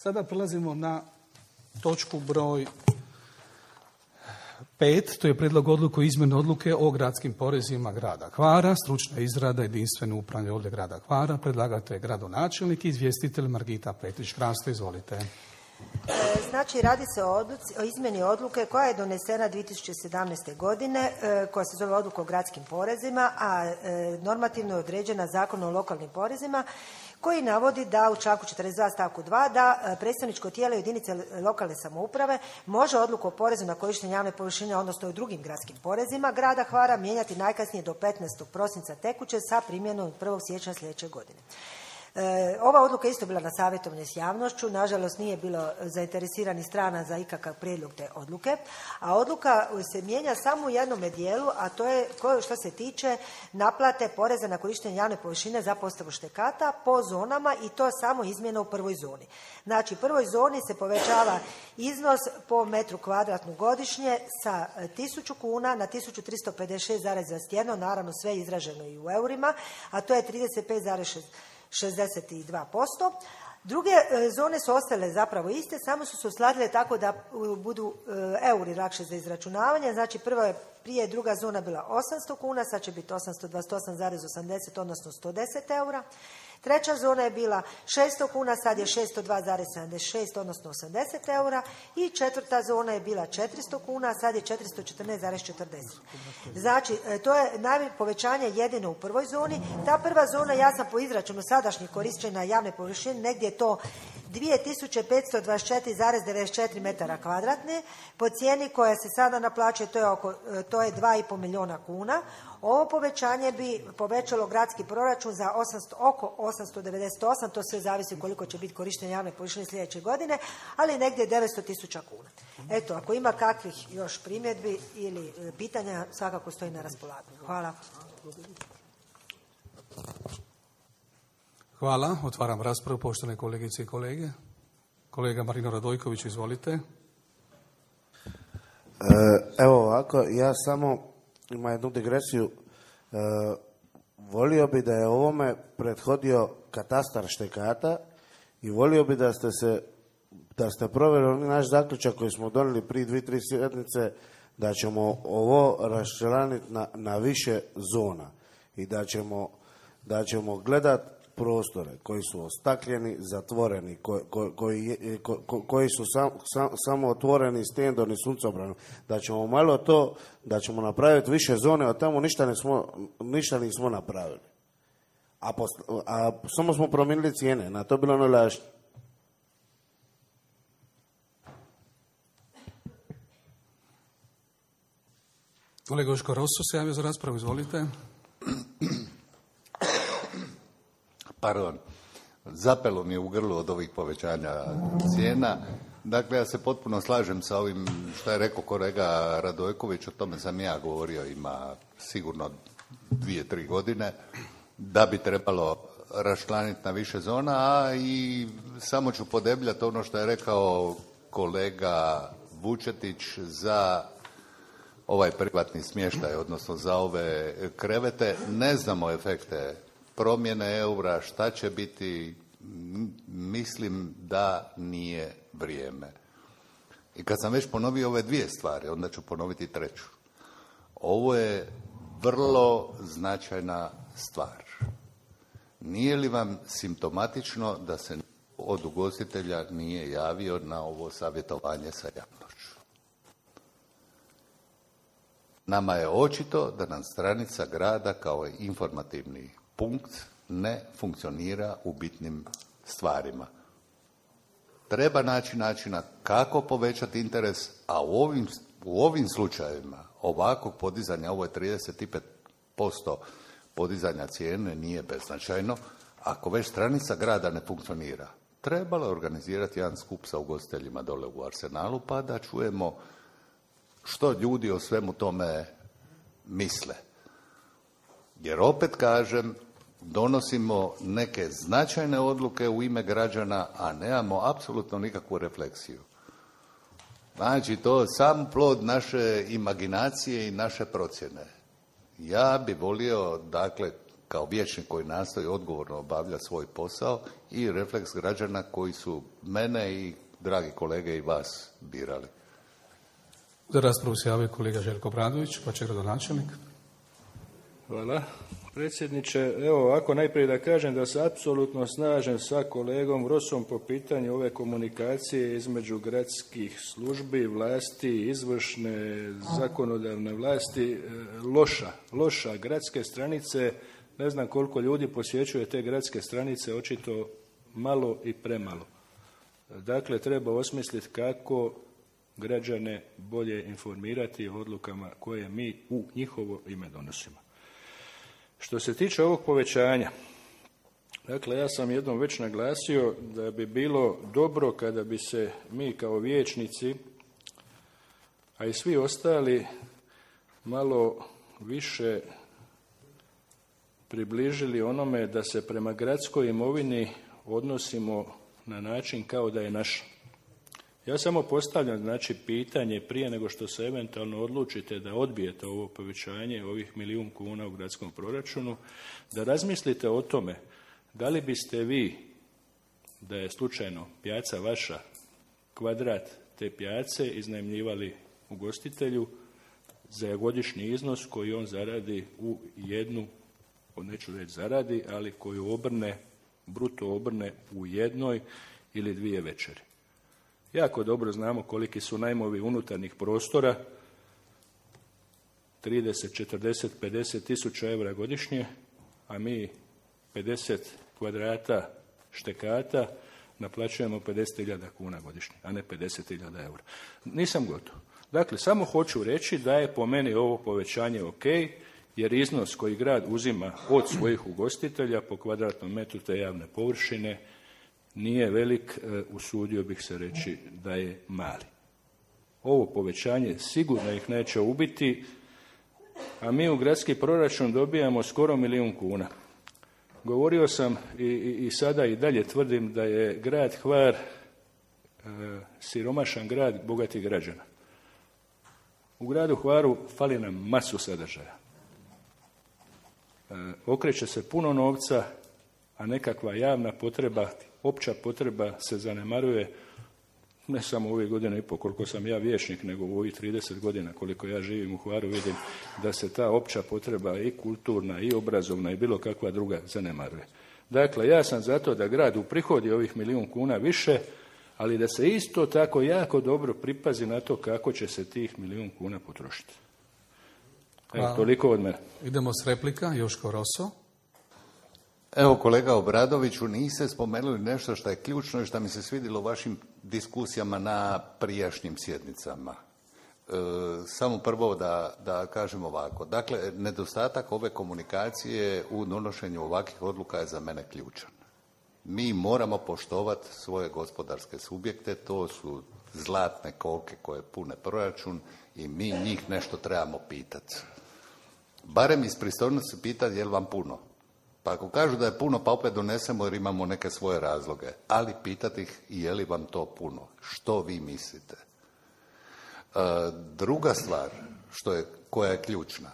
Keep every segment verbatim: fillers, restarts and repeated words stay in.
Sada prelazimo na točku broj pet, to je prijedlog odluke o izmjeni odluke o gradskim porezima grada Hvara, stručna izrada, jedinstveno upravni odjel grada Hvara, predlagatelj gradonačelnik i izvjestitelj Margita Petrić-Hrasto, izvolite. Znači, radi se o, odluci, o izmjeni odluke koja je donesena dvije tisuće sedamnaeste. godine, koja se zove odluka o gradskim porezima, a normativno je određena Zakon o lokalnim porezima, koji navodi da u članku četrdeset dva stavku dva da predstavničko tijelo jedinice lokalne samouprave može odluku o porezu na korištenje javne površine, odnosno i drugim gradskim porezima grada Hvara mijenjati najkasnije do petnaestog prosinca tekuće sa primjenom od prvog siječnja sljedeće godine. E, ova odluka isto bila na savjetovanju s javnošću, nažalost nije bilo zainteresiranih strana za ikakav prijedlog te odluke, a odluka se mijenja samo u jednome dijelu, a to je što se tiče naplate poreza na korištenje javne površine za postavu štekata po zonama, i to samo izmjena u prvoj zoni. Znači, u prvoj zoni se povećava iznos po metru kvadratnu godišnje sa tisuću kuna na tisuću tristo pedeset šest zarez dvadeset jedan, naravno sve izraženo i u eurima, a to je trideset pet zarez šezdeset dva posto. Druge zone su ostale zapravo iste, samo su se uskladile tako da budu euri lakše za izračunavanje. Znači, prva je prije druga zona bila osamsto kuna, sad će biti osamsto dvadeset osam zarez osamdeset, odnosno sto deset eura. Treća zona je bila šesto kuna, sad je šesto dva zarez sedamdeset šest, odnosno osamdeset eura. I četvrta zona je bila četiristo kuna, a sad je četiristo četrnaest zarez četrdeset. Znači, to je najveće povećanje jedino u prvoj zoni. Ta prva zona, ja sam po izračunu sadašnjih korištenja javne površine, negdje je to dvije tisuće petsto dvadeset četiri zarez devedeset četiri metara kvadratne. Po cijeni koja se sada naplaćuje, to je, oko, to je dva i pol milijuna kuna. Ovo povećanje bi povećalo gradski proračun za osamsto, oko osamsto devedeset osam, to sve zavisi koliko će biti korištenje javne površine sljedeće godine, ali negdje devetsto tisuća kuna. Eto, ako ima kakvih još primjedbi ili pitanja, svakako stoji na raspolaganju. Hvala. Hvala. Otvaram raspravu, poštovane kolegice i kolege. Kolega Marino Radojković, izvolite. Evo ovako, ja samo ima jednu digresiju. E, volio bi da je ovome prethodio katastar štekata i volio bi da ste se da ste provjerili naš zaključak koji smo donijeli prije dvije, tri sjednice, da ćemo ovo raščlaniti na, na više zona i da ćemo, da ćemo gledati prostore koji su ostakljeni, zatvoreni, koji, koji, koji, koji su sam, sam, samo otvoreni stendom i suncobranom, da ćemo malo to, da ćemo napraviti više zone, a tamo ništa nismo, ništa nismo napravili. A, post, a samo smo promijenili cijene, na to bilo najlažnije. Kolega Joško Rosso se javio za raspravu, izvolite. Pardon, zapelo mi je u grlu od ovih povećanja cijena. Dakle, ja se potpuno slažem sa ovim što je rekao kolega Radojković, o tome sam ja govorio, ima sigurno dvije, tri godine, da bi trebalo raščlaniti na više zona, a i samo ću podebljati ono što je rekao kolega Vučetić za ovaj privatni smještaj, odnosno za ove krevete. Ne znamo efekte promjene eura, šta će biti, mislim da nije vrijeme. I kad sam već ponovio ove dvije stvari, onda ću ponoviti treću. Ovo je vrlo značajna stvar. Nije li vam simptomatično da se od ugostitelja nije javio na ovo savjetovanje sa javnošću? Nama je očito da nam stranica grada kao informativni punkt ne funkcionira u bitnim stvarima. Treba naći načina kako povećati interes, a u ovim, u ovim slučajevima ovakvog podizanja, ovo je trideset pet posto podizanja cijene, nije beznačajno. Ako već stranica grada ne funkcionira, trebalo je organizirati jedan skup sa ugostiteljima dole u Arsenalu, pa da čujemo što ljudi o svemu tome misle. Jer opet kažem, donosimo neke značajne odluke u ime građana, a nemamo apsolutno nikakvu refleksiju. Znači, to je sam plod naše imaginacije i naše procjene. Ja bi volio, dakle, kao vijećnik koji nastoji odgovorno obavljati svoj posao i refleks građana koji su mene i dragi kolege i vas birali. Za raspravu se javio kolega Željko Obradović, pa će gradonačelnik. Hvala, predsjedniče. Evo ovako, najprije da kažem da se apsolutno slažem sa kolegom Vrosom po pitanju ove komunikacije između gradskih službi, vlasti, izvršne, zakonodavne vlasti. Loša, loša. Gradske stranice, ne znam koliko ljudi posjećuje te gradske stranice, očito malo i premalo. Dakle, treba osmisliti kako građane bolje informirati o odlukama koje mi u njihovo ime donosimo. Što se tiče ovog povećanja, dakle, ja sam jednom već naglasio da bi bilo dobro kada bi se mi kao vijećnici, a i svi ostali, malo više približili onome da se prema gradskoj imovini odnosimo na način kao da je naša. Ja samo postavljam, znači, pitanje prije nego što se eventualno odlučite da odbijete ovo povećanje ovih milijun kuna u gradskom proračunu, da razmislite o tome da li biste vi, da je slučajno pijaca vaša, kvadrat te pijace iznajmljivali ugostitelju za godišnji iznos koji on zaradi u jednu, neću reći zaradi, ali koju obrne, bruto obrne u jednoj ili dvije večeri. Jako dobro znamo koliki su najmovi unutarnjih prostora, trideset, četrdeset, pedeset tisuća eura godišnje, a mi pedeset kvadrata štekata naplaćujemo pedeset hiljada kuna godišnje, a ne pedeset hiljada eura. Nisam gotov. Dakle, samo hoću reći da je po meni ovo povećanje ok, jer iznos koji grad uzima od svojih ugostitelja po kvadratnom metru te javne površine nije velik, usudio bih se reći da je mali. Ovo povećanje sigurno ih neće ubiti, a mi u gradski proračun dobijamo skoro milijun kuna. Govorio sam i, i, i sada i dalje tvrdim da je grad Hvar e, siromašan grad bogatih građana. U gradu Hvaru fali nam masu sadržaja. E, okreće se puno novca, a nekakva javna potreba, opća potreba se zanemaruje, ne samo ove godine i po koliko sam ja vijećnik, nego u ovih trideset godina koliko ja živim u Hvaru, vidim da se ta opća potreba i kulturna i obrazovna i bilo kakva druga zanemaruje. Dakle, ja sam zato da grad uprihodi ovih milijun kuna više, ali da se isto tako jako dobro pripazi na to kako će se tih milijun kuna potrošiti. Evo, toliko od mene. Idemo s replika, Joško Roso. Evo, kolega Obradoviću, niste spomenuli nešto što je ključno i što mi se svidjelo u vašim diskusijama na prijašnjim sjednicama. E, samo prvo da, da kažem ovako. Dakle, nedostatak ove komunikacije u donošenju ovakvih odluka je za mene ključan. Mi moramo poštovati svoje gospodarske subjekte, to su zlatne koke koje pune proračun i mi njih nešto trebamo pitati. Barem iz pristojnosti pitati je li vam puno. Pa ako kažu da je puno, pa opet donesemo jer imamo neke svoje razloge. Ali pitati ih je li vam to puno. Što vi mislite? E, druga stvar što je, koja je ključna.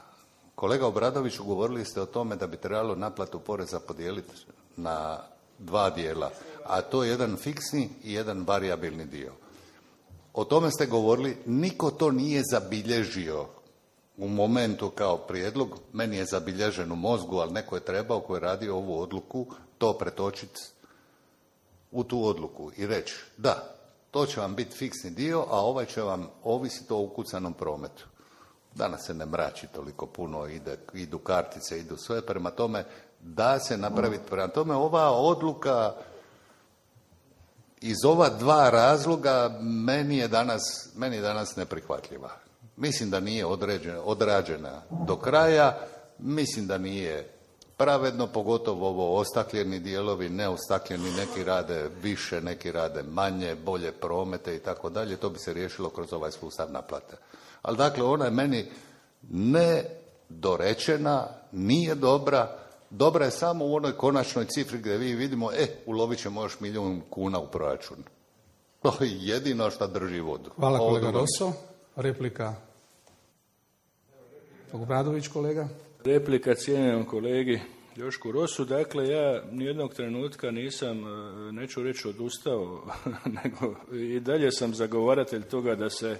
Kolega Obradoviću, govorili ste o tome da bi trebalo naplatu poreza podijeliti na dva dijela. A to je jedan fiksni i jedan varijabilni dio. O tome ste govorili, niko to nije zabilježio u momentu kao prijedlog, meni je zabilježen u mozgu, ali neko je trebao koji je radio ovu odluku, to pretočiti u tu odluku i reći da, to će vam biti fiksni dio, a ovaj će vam ovisiti o ukucanom prometu. Danas se ne mrači toliko puno, ide, idu kartice, idu sve, prema tome da se napraviti. Prema tome ova odluka iz ova dva razloga meni je danas, meni je danas neprihvatljiva. Mislim da nije određena, odrađena do kraja, mislim da nije pravedno, pogotovo ovo ostakljeni dijelovi, neostakljeni, neki rade više, neki rade manje, bolje promete i tako dalje, to bi se riješilo kroz ovaj sustav naplate. Ali dakle, ona je meni nedorečena, nije dobra, dobra je samo u onoj konačnoj cifri gdje vi vidimo, e, ulovit ćemo još milijun kuna u proračun. To je jedino što drži vodu. Hvala kolega Roso. Replika. Obradović, kolega. Replika cijenjenom kolegi Jošku Rosu. Dakle, ja nijednog trenutka nisam, neću reći odustao, nego i dalje sam zagovaratelj toga da se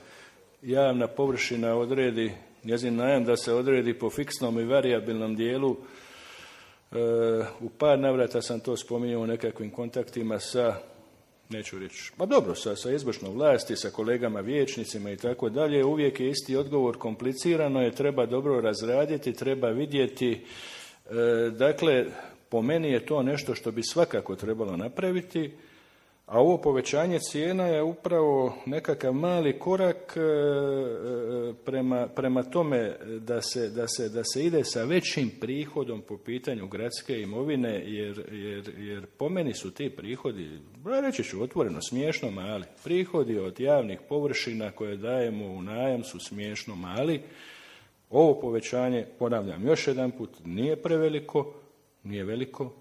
javna površina odredi, njezin najam da se odredi po fiksnom i varijabilnom dijelu. U par navrata sam to spominjao u nekakvim kontaktima sa, neću reći, pa dobro, sa, sa izvršnom vlasti, sa kolegama vijećnicima i tako dalje. Uvijek je isti odgovor, komplicirano je, treba dobro razraditi, treba vidjeti. Dakle, po meni je to nešto što bi svakako trebalo napraviti, a ovo povećanje cijena je upravo nekakav mali korak prema, prema tome da se, da, se, da se ide sa većim prihodom po pitanju gradske imovine, jer, jer, jer po meni su ti prihodi, reći ću otvoreno, smiješno mali. Prihodi od javnih površina koje dajemo u najam su smiješno mali. Ovo povećanje, ponavljam još jedan put, nije preveliko, nije veliko,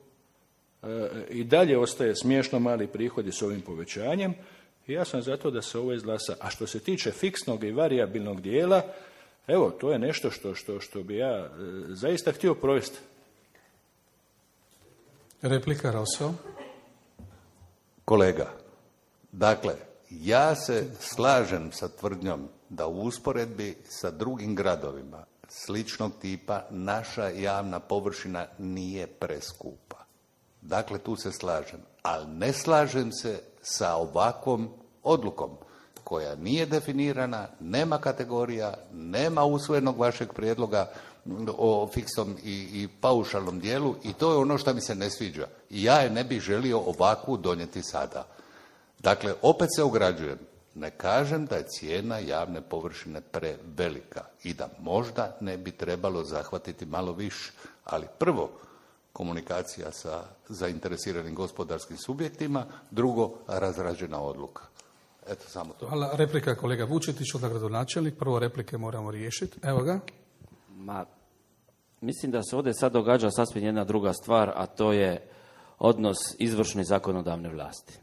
i dalje ostaje smiješno mali prihodi s ovim povećanjem i ja sam zato da se ovo izglasa. A što se tiče fiksnog i varijabilnog dijela, evo, to je nešto što, što, što bi ja e, zaista htio provesti. Replika Rosso. Kolega, dakle, ja se slažem sa tvrdnjom da u usporedbi sa drugim gradovima sličnog tipa naša javna površina nije preskupa. Dakle, tu se slažem, ali ne slažem se sa ovakvom odlukom koja nije definirana, nema kategorija, nema usvojenog vašeg prijedloga o fiksnom i, i paušalnom dijelu i to je ono što mi se ne sviđa. I ja je ne bih želio ovakvu donijeti sada. Dakle, opet se ograđujem. Ne kažem da je cijena javne površine prevelika i da možda ne bi trebalo zahvatiti malo više, ali prvo, komunikacija sa zainteresiranim gospodarskim subjektima, drugo, razrađena odluka. Eto, samo to. Hvala. Replika kolega Vučetić, onda gradonačelnik. Prvo replike moramo riješiti. Evo ga. Ma, mislim da se ovdje sad događa sasvim jedna druga stvar, a to je odnos izvršne i zakonodavne vlasti.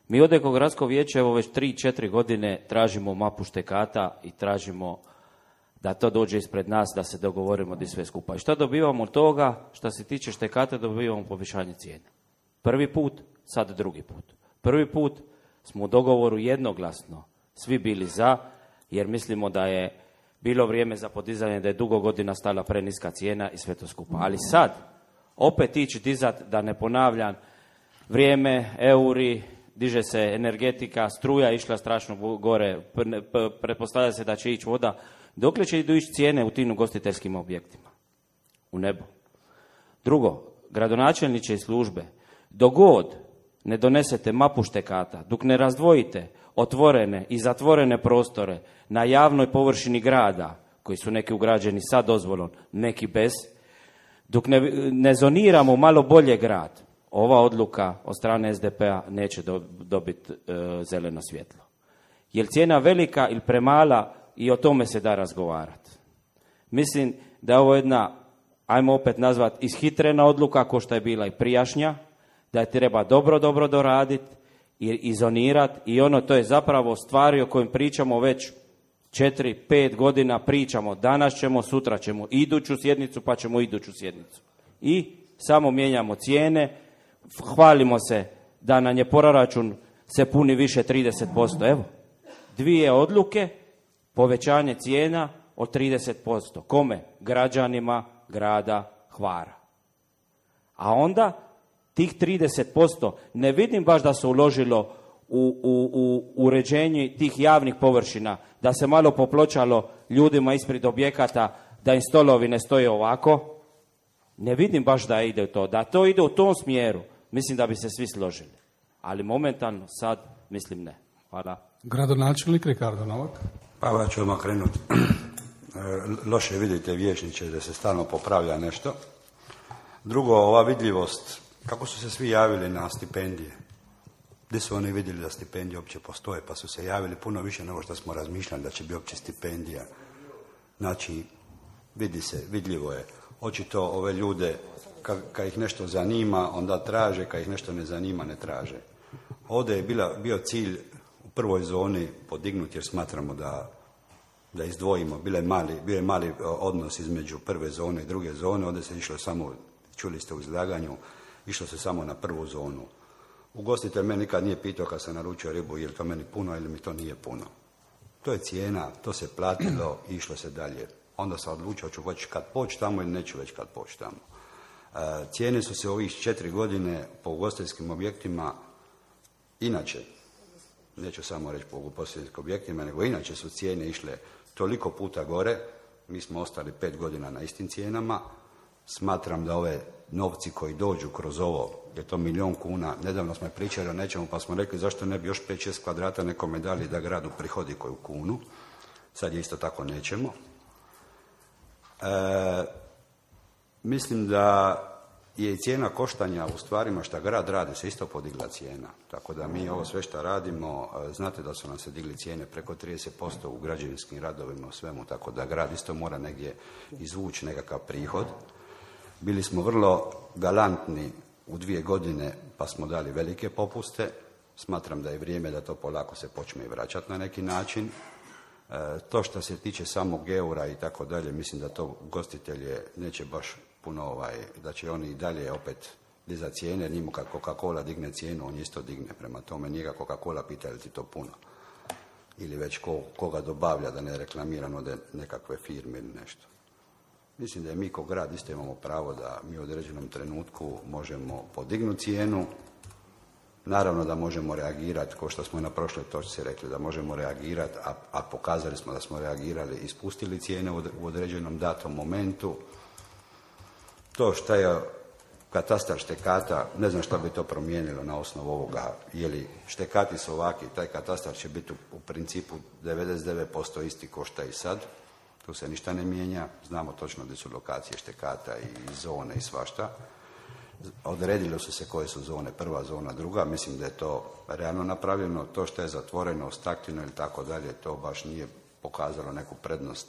Mi ovdje kao gradsko vijeće evo već tri, četiri godine tražimo mapu štekata i tražimo da to dođe ispred nas, da se dogovorimo di sve skupa. I šta dobivamo od toga? Što se tiče štekata, dobivamo povećanje cijene. Prvi put, sad drugi put. Prvi put smo u dogovoru jednoglasno svi bili za, jer mislimo da je bilo vrijeme za podizanje, da je dugo godina stala preniska cijena i sve to skupa. Ali sad, opet ići dizat, da ne ponavljam, vrijeme, euri, diže se energetika, struja išla strašno gore, pretpostavlja se da će ići voda. Dokle će idu ići cijene u tim ugostiteljskim objektima? U nebo. Drugo, gradonačelniče i službe, dok god ne donesete mapu štekata, dok ne razdvojite otvorene i zatvorene prostore na javnoj površini grada, koji su neki ugrađeni sa dozvolom, neki bez, dok ne, ne zoniramo malo bolje grad, ova odluka od strane es de pe-a neće do, dobiti e, zeleno svjetlo. Je li cijena velika ili premala, i o tome se da razgovarati. Mislim da je ovo jedna, ajmo opet nazvati, ishitrena odluka, ko što je bila i prijašnja, da je treba dobro, dobro doraditi i izonirati i ono, to je zapravo stvari o kojim pričamo već četiri, pet godina, pričamo, danas ćemo, sutra ćemo iduću sjednicu, pa ćemo iduću sjednicu. I samo mijenjamo cijene, hvalimo se da nam je proračun se puni više trideset posto. Evo, dvije odluke, povećanje cijena od trideset posto. Kome? Građanima grada Hvara. A onda tih trideset posto ne vidim baš da se uložilo u, u, u uređenje tih javnih površina, da se malo popločalo ljudima ispred objekata, da im stolovi ne stoje ovako. Ne vidim baš da ide to. Da to ide u tom smjeru, mislim da bi se svi složili. Ali momentalno sad mislim ne. Hvala. Gradonačelnik Ricardo Novak. Pa ja ću odmah krenuti. Loše vidite vijećniče da se stalno popravlja nešto. Drugo, ova vidljivost, kako su se svi javili na stipendije? Gdje su oni vidjeli da stipendije uopće postoje, pa su se javili puno više nego što smo razmišljali da će biti uopće stipendija. Znači, vidi se, vidljivo je. Očito ove ljude, kad, kad ih nešto zanima, onda traže, kad ih nešto ne zanima, ne traže. Ovdje je bila, bio cilj u prvoj zoni podignuti, jer smatramo da, da izdvojimo. Bio je mali, bio je mali odnos između prve zone i druge zone, ovdje se išlo samo čuli ste u izlaganju, išlo se samo na prvu zonu. Ugostitelj me nikad nije pitao kad sam naručio ribu je li to meni puno ili mi to nije puno. To je cijena, to se platilo i išlo se dalje. Onda sam odlučio ću već kad poći tamo ili neću već kad poći tamo. E, cijene su se ovih četiri godine po ugostiteljskim objektima, inače, neću samo reći po ugostiteljskim objektima, nego inače su cijene išle toliko puta gore, mi smo ostali pet godina na istim cijenama. Smatram da ove novci koji dođu kroz ovo, je to milijun kuna, nedavno smo pričali o nečemu pa smo rekli zašto ne bi još pet šest kvadrata nekome dali da gradu prihodi koju kunu, sad je isto tako nećemo. E, mislim da je i cijena koštanja u stvarima što grad radi se isto podigla cijena, tako da mi ovo sve što radimo, znate da su nam se digli cijene preko trideset posto u građevinskim radovima, u svemu, tako da grad isto mora negdje izvući nekakav prihod. Bili smo vrlo galantni u dvije godine pa smo dali velike popuste. Smatram da je vrijeme da to polako se počne i vraćati na neki način. E, to što se tiče samog eura i tako dalje, mislim da to gostitelje neće baš puno, ovaj, da će oni i dalje opet dizati cijene. Njemu kad Coca-Cola digne cijenu, on isto digne. Prema tome njega Coca-Cola pita li ti to puno. Ili već ko, koga dobavlja, da ne reklamiramo da nekakve firme ili nešto. Mislim da je mi kao grad isto imamo pravo da mi u određenom trenutku možemo podignuti cijenu. Naravno da možemo reagirati, kao što smo i na prošloj točci rekli, da možemo reagirati, a, a pokazali smo da smo reagirali i spustili cijene u određenom datom momentu. To što je katastar štekata, ne znam što bi to promijenilo na osnovu ovoga, je li štekati su ovaki, taj katastar će biti u, u principu devedeset devet posto isti ko što je i sad. Tu se ništa ne mijenja, znamo točno gdje su lokacije štekata i zone i svašta. Odredilo su se koje su zone, prva zona, druga, mislim da je to realno napravljeno. To što je zatvoreno, ostakljeno ili tako dalje, to baš nije pokazalo neku prednost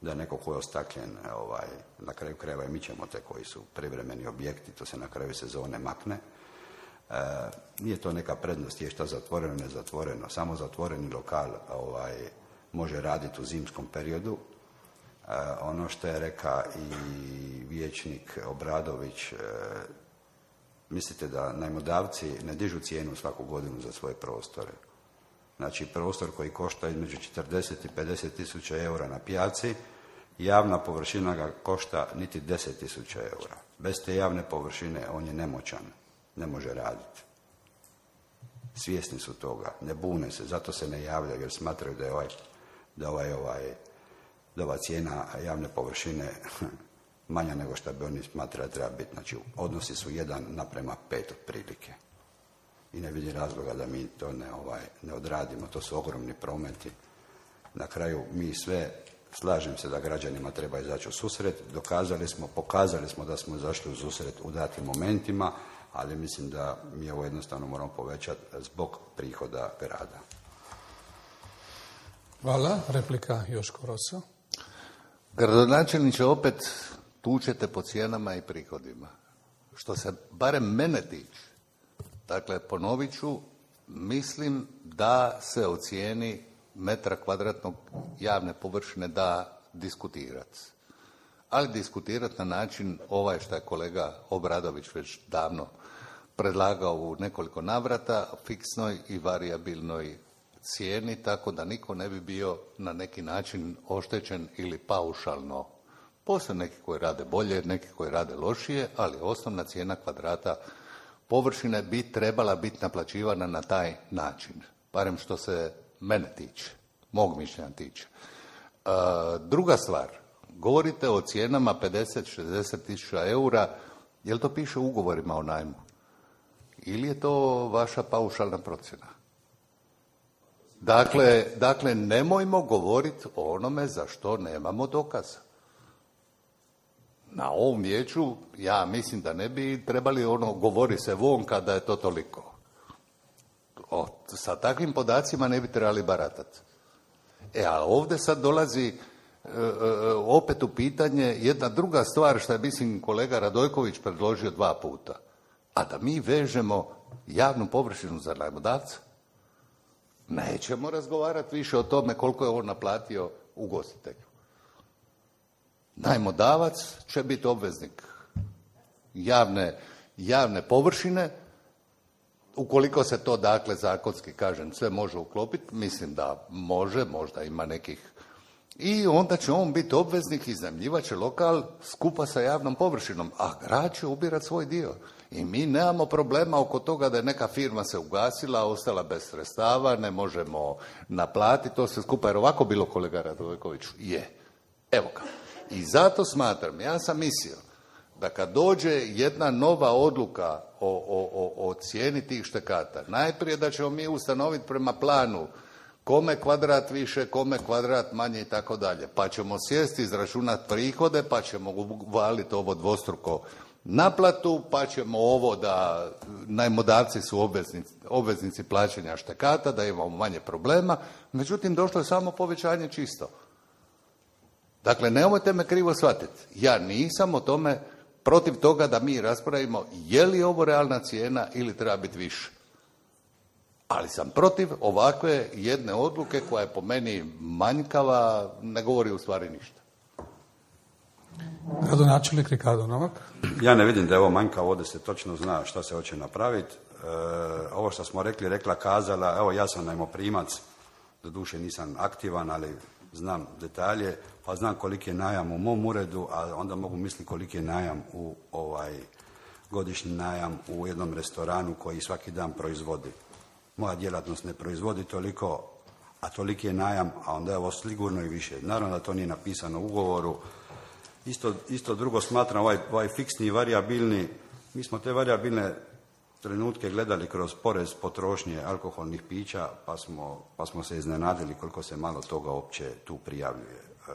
da je neko ko je ostakljen, ovaj, na kraju krajeva i mi ćemo te koji su privremeni objekti, to se na kraju sezone makne. E, nije to neka prednost, je šta zatvoreno, ne zatvoreno, samo zatvoreni lokal ovaj, može raditi u zimskom periodu. Uh, ono što je reka i vijećnik Obradović, uh, mislite da najmodavci ne dižu cijenu svaku godinu za svoje prostore. Znači prostor koji košta između četrdeset i pedeset tisuća eura na pijaci, javna površina ga košta niti deset tisuća eura. Bez te javne površine on je nemoćan, ne može raditi. Svjesni su toga, ne bune se, zato se ne javljaju jer smatraju da je ovaj, da ovaj, ovaj da ova cijena javne površine manja nego što bi oni smatrali treba biti. Znači, odnosi su jedan naprema pet otprilike. I ne vidim razloga da mi to ne, ovaj, ne odradimo. To su ogromni prometi. Na kraju mi sve, slažem se da građanima treba izaći u susret. Dokazali smo, pokazali smo da smo izašli u susret u datim momentima, ali mislim da mi ovo jednostavno moramo povećati zbog prihoda grada. Hvala. Replika Joško Rosa. Gradonačelniče, opet tučete po cijenama i prihodima. Što se barem mene tiče, dakle, ponovit ću, mislim da se o cijeni metra kvadratnog javne površine da diskutirati. Ali diskutirati na način ovaj što je kolega Obradović već davno predlagao u nekoliko navrata, fiksnoj i varijabilnoj cijeni, tako da niko ne bi bio na neki način oštećen ili paušalno. Postoje neki koji rade bolje, neki koji rade lošije, ali osnovna cijena kvadrata površine bi trebala biti naplaćivana na taj način. Barem što se mene tiče, mog mišljenja tiče. E, druga stvar, govorite o cijenama pedeset šezdeset tisuća eura, je li to piše u ugovorima o najmu? Ili je to vaša paušalna procjena? Dakle, dakle, nemojmo govoriti o onome za što nemamo dokaza. Na ovom vijeću ja mislim da ne bi trebali ono govori se von kada je to toliko. O, sa takvim podacima ne bi trebali baratati. E, a ovdje sad dolazi e, e, opet u pitanje jedna druga stvar što je, mislim, kolega Radojković predložio dva puta. A da mi vežemo javnu površinu za najmodavca. Nećemo razgovarati više o tome koliko je on naplatio ugostitelju. Najmodavac će biti obveznik javne, javne površine, ukoliko se to dakle zakonski, kažem, sve može uklopiti, mislim da može, možda ima nekih, i onda će on biti obveznik, iznajmljivat će lokal skupa sa javnom površinom, a grad će ubirati svoj dio. I mi nemamo problema oko toga da je neka firma se ugasila, ostala bez sredstava, ne možemo naplatiti to sve skupa, jer ovako bilo, kolega Radojkoviću, je. Evo ga. I zato smatram, ja sam mislio da kad dođe jedna nova odluka o, o, o, o cijeni tih štekata, najprije da ćemo mi ustanoviti prema planu kome kvadrat više, kome kvadrat manje i tako dalje. Pa ćemo sjesti, izračunati prihode, pa ćemo uvaliti ovo dvostruko naplatu, pa ćemo ovo da najmodavci su obveznici, obveznici plaćanja štekata, da imamo manje problema. Međutim, došlo je samo povećanje čisto. Dakle, nemojte me krivo shvatiti. Ja nisam o tome protiv toga da mi raspravimo je li ovo realna cijena ili treba biti više. Ali sam protiv ovakve jedne odluke koja je po meni manjkava, ne govori u stvari ništa. Gradonačelnik Ricardo Novak. Ja ne vidim da je ovo manjkavo, ovdje se točno zna šta se hoće napraviti. E, ovo što smo rekli, rekla, kazala, evo ja sam najmoprimac, doduše nisam aktivan, ali znam detalje, pa znam koliki je najam u mom uredu, a onda mogu misliti koliki je najam u ovaj godišnji najam u jednom restoranu koji svaki dan proizvodi. Moja djelatnost ne proizvodi toliko, a toliki je najam, a onda je ovo sigurno i više. Naravno da to nije napisano u ugovoru. Isto, isto drugo smatram, ovaj, ovaj fiksni i varijabilni, mi smo te varijabilne trenutke gledali kroz porez potrošnje alkoholnih pića, pa smo, pa smo se iznenadili koliko se malo toga uopće tu prijavljuje. E,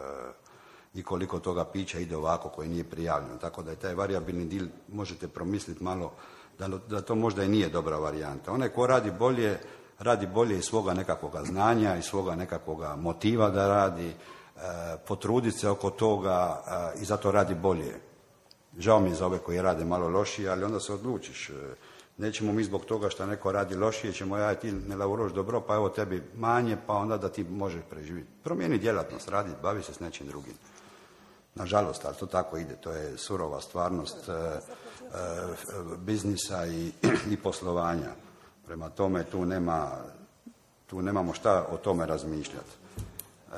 i koliko toga pića ide ovako koje nije prijavljeno. Tako da je taj varijabilni dil, možete promisliti malo, da, da to možda i nije dobra varijanta. Onaj ko radi bolje, radi bolje iz svoga nekakvoga znanja, iz svoga nekakvoga motiva da radi, e, potruditi se oko toga e, i zato radi bolje. Žao mi je za ove koji rade malo lošije, ali onda se odlučiš. E, nećemo mi zbog toga što neko radi lošije, ćemo ja ti ne lavuroš dobro, pa evo tebi manje, pa onda da ti možeš preživjeti. Promijeni djelatnost, radi, bavi se s nečim drugim. Nažalost, ali to tako ide, to je surova stvarnost e, e, biznisa i, i poslovanja. Prema tome tu nema, tu nemamo šta o tome razmišljati. E,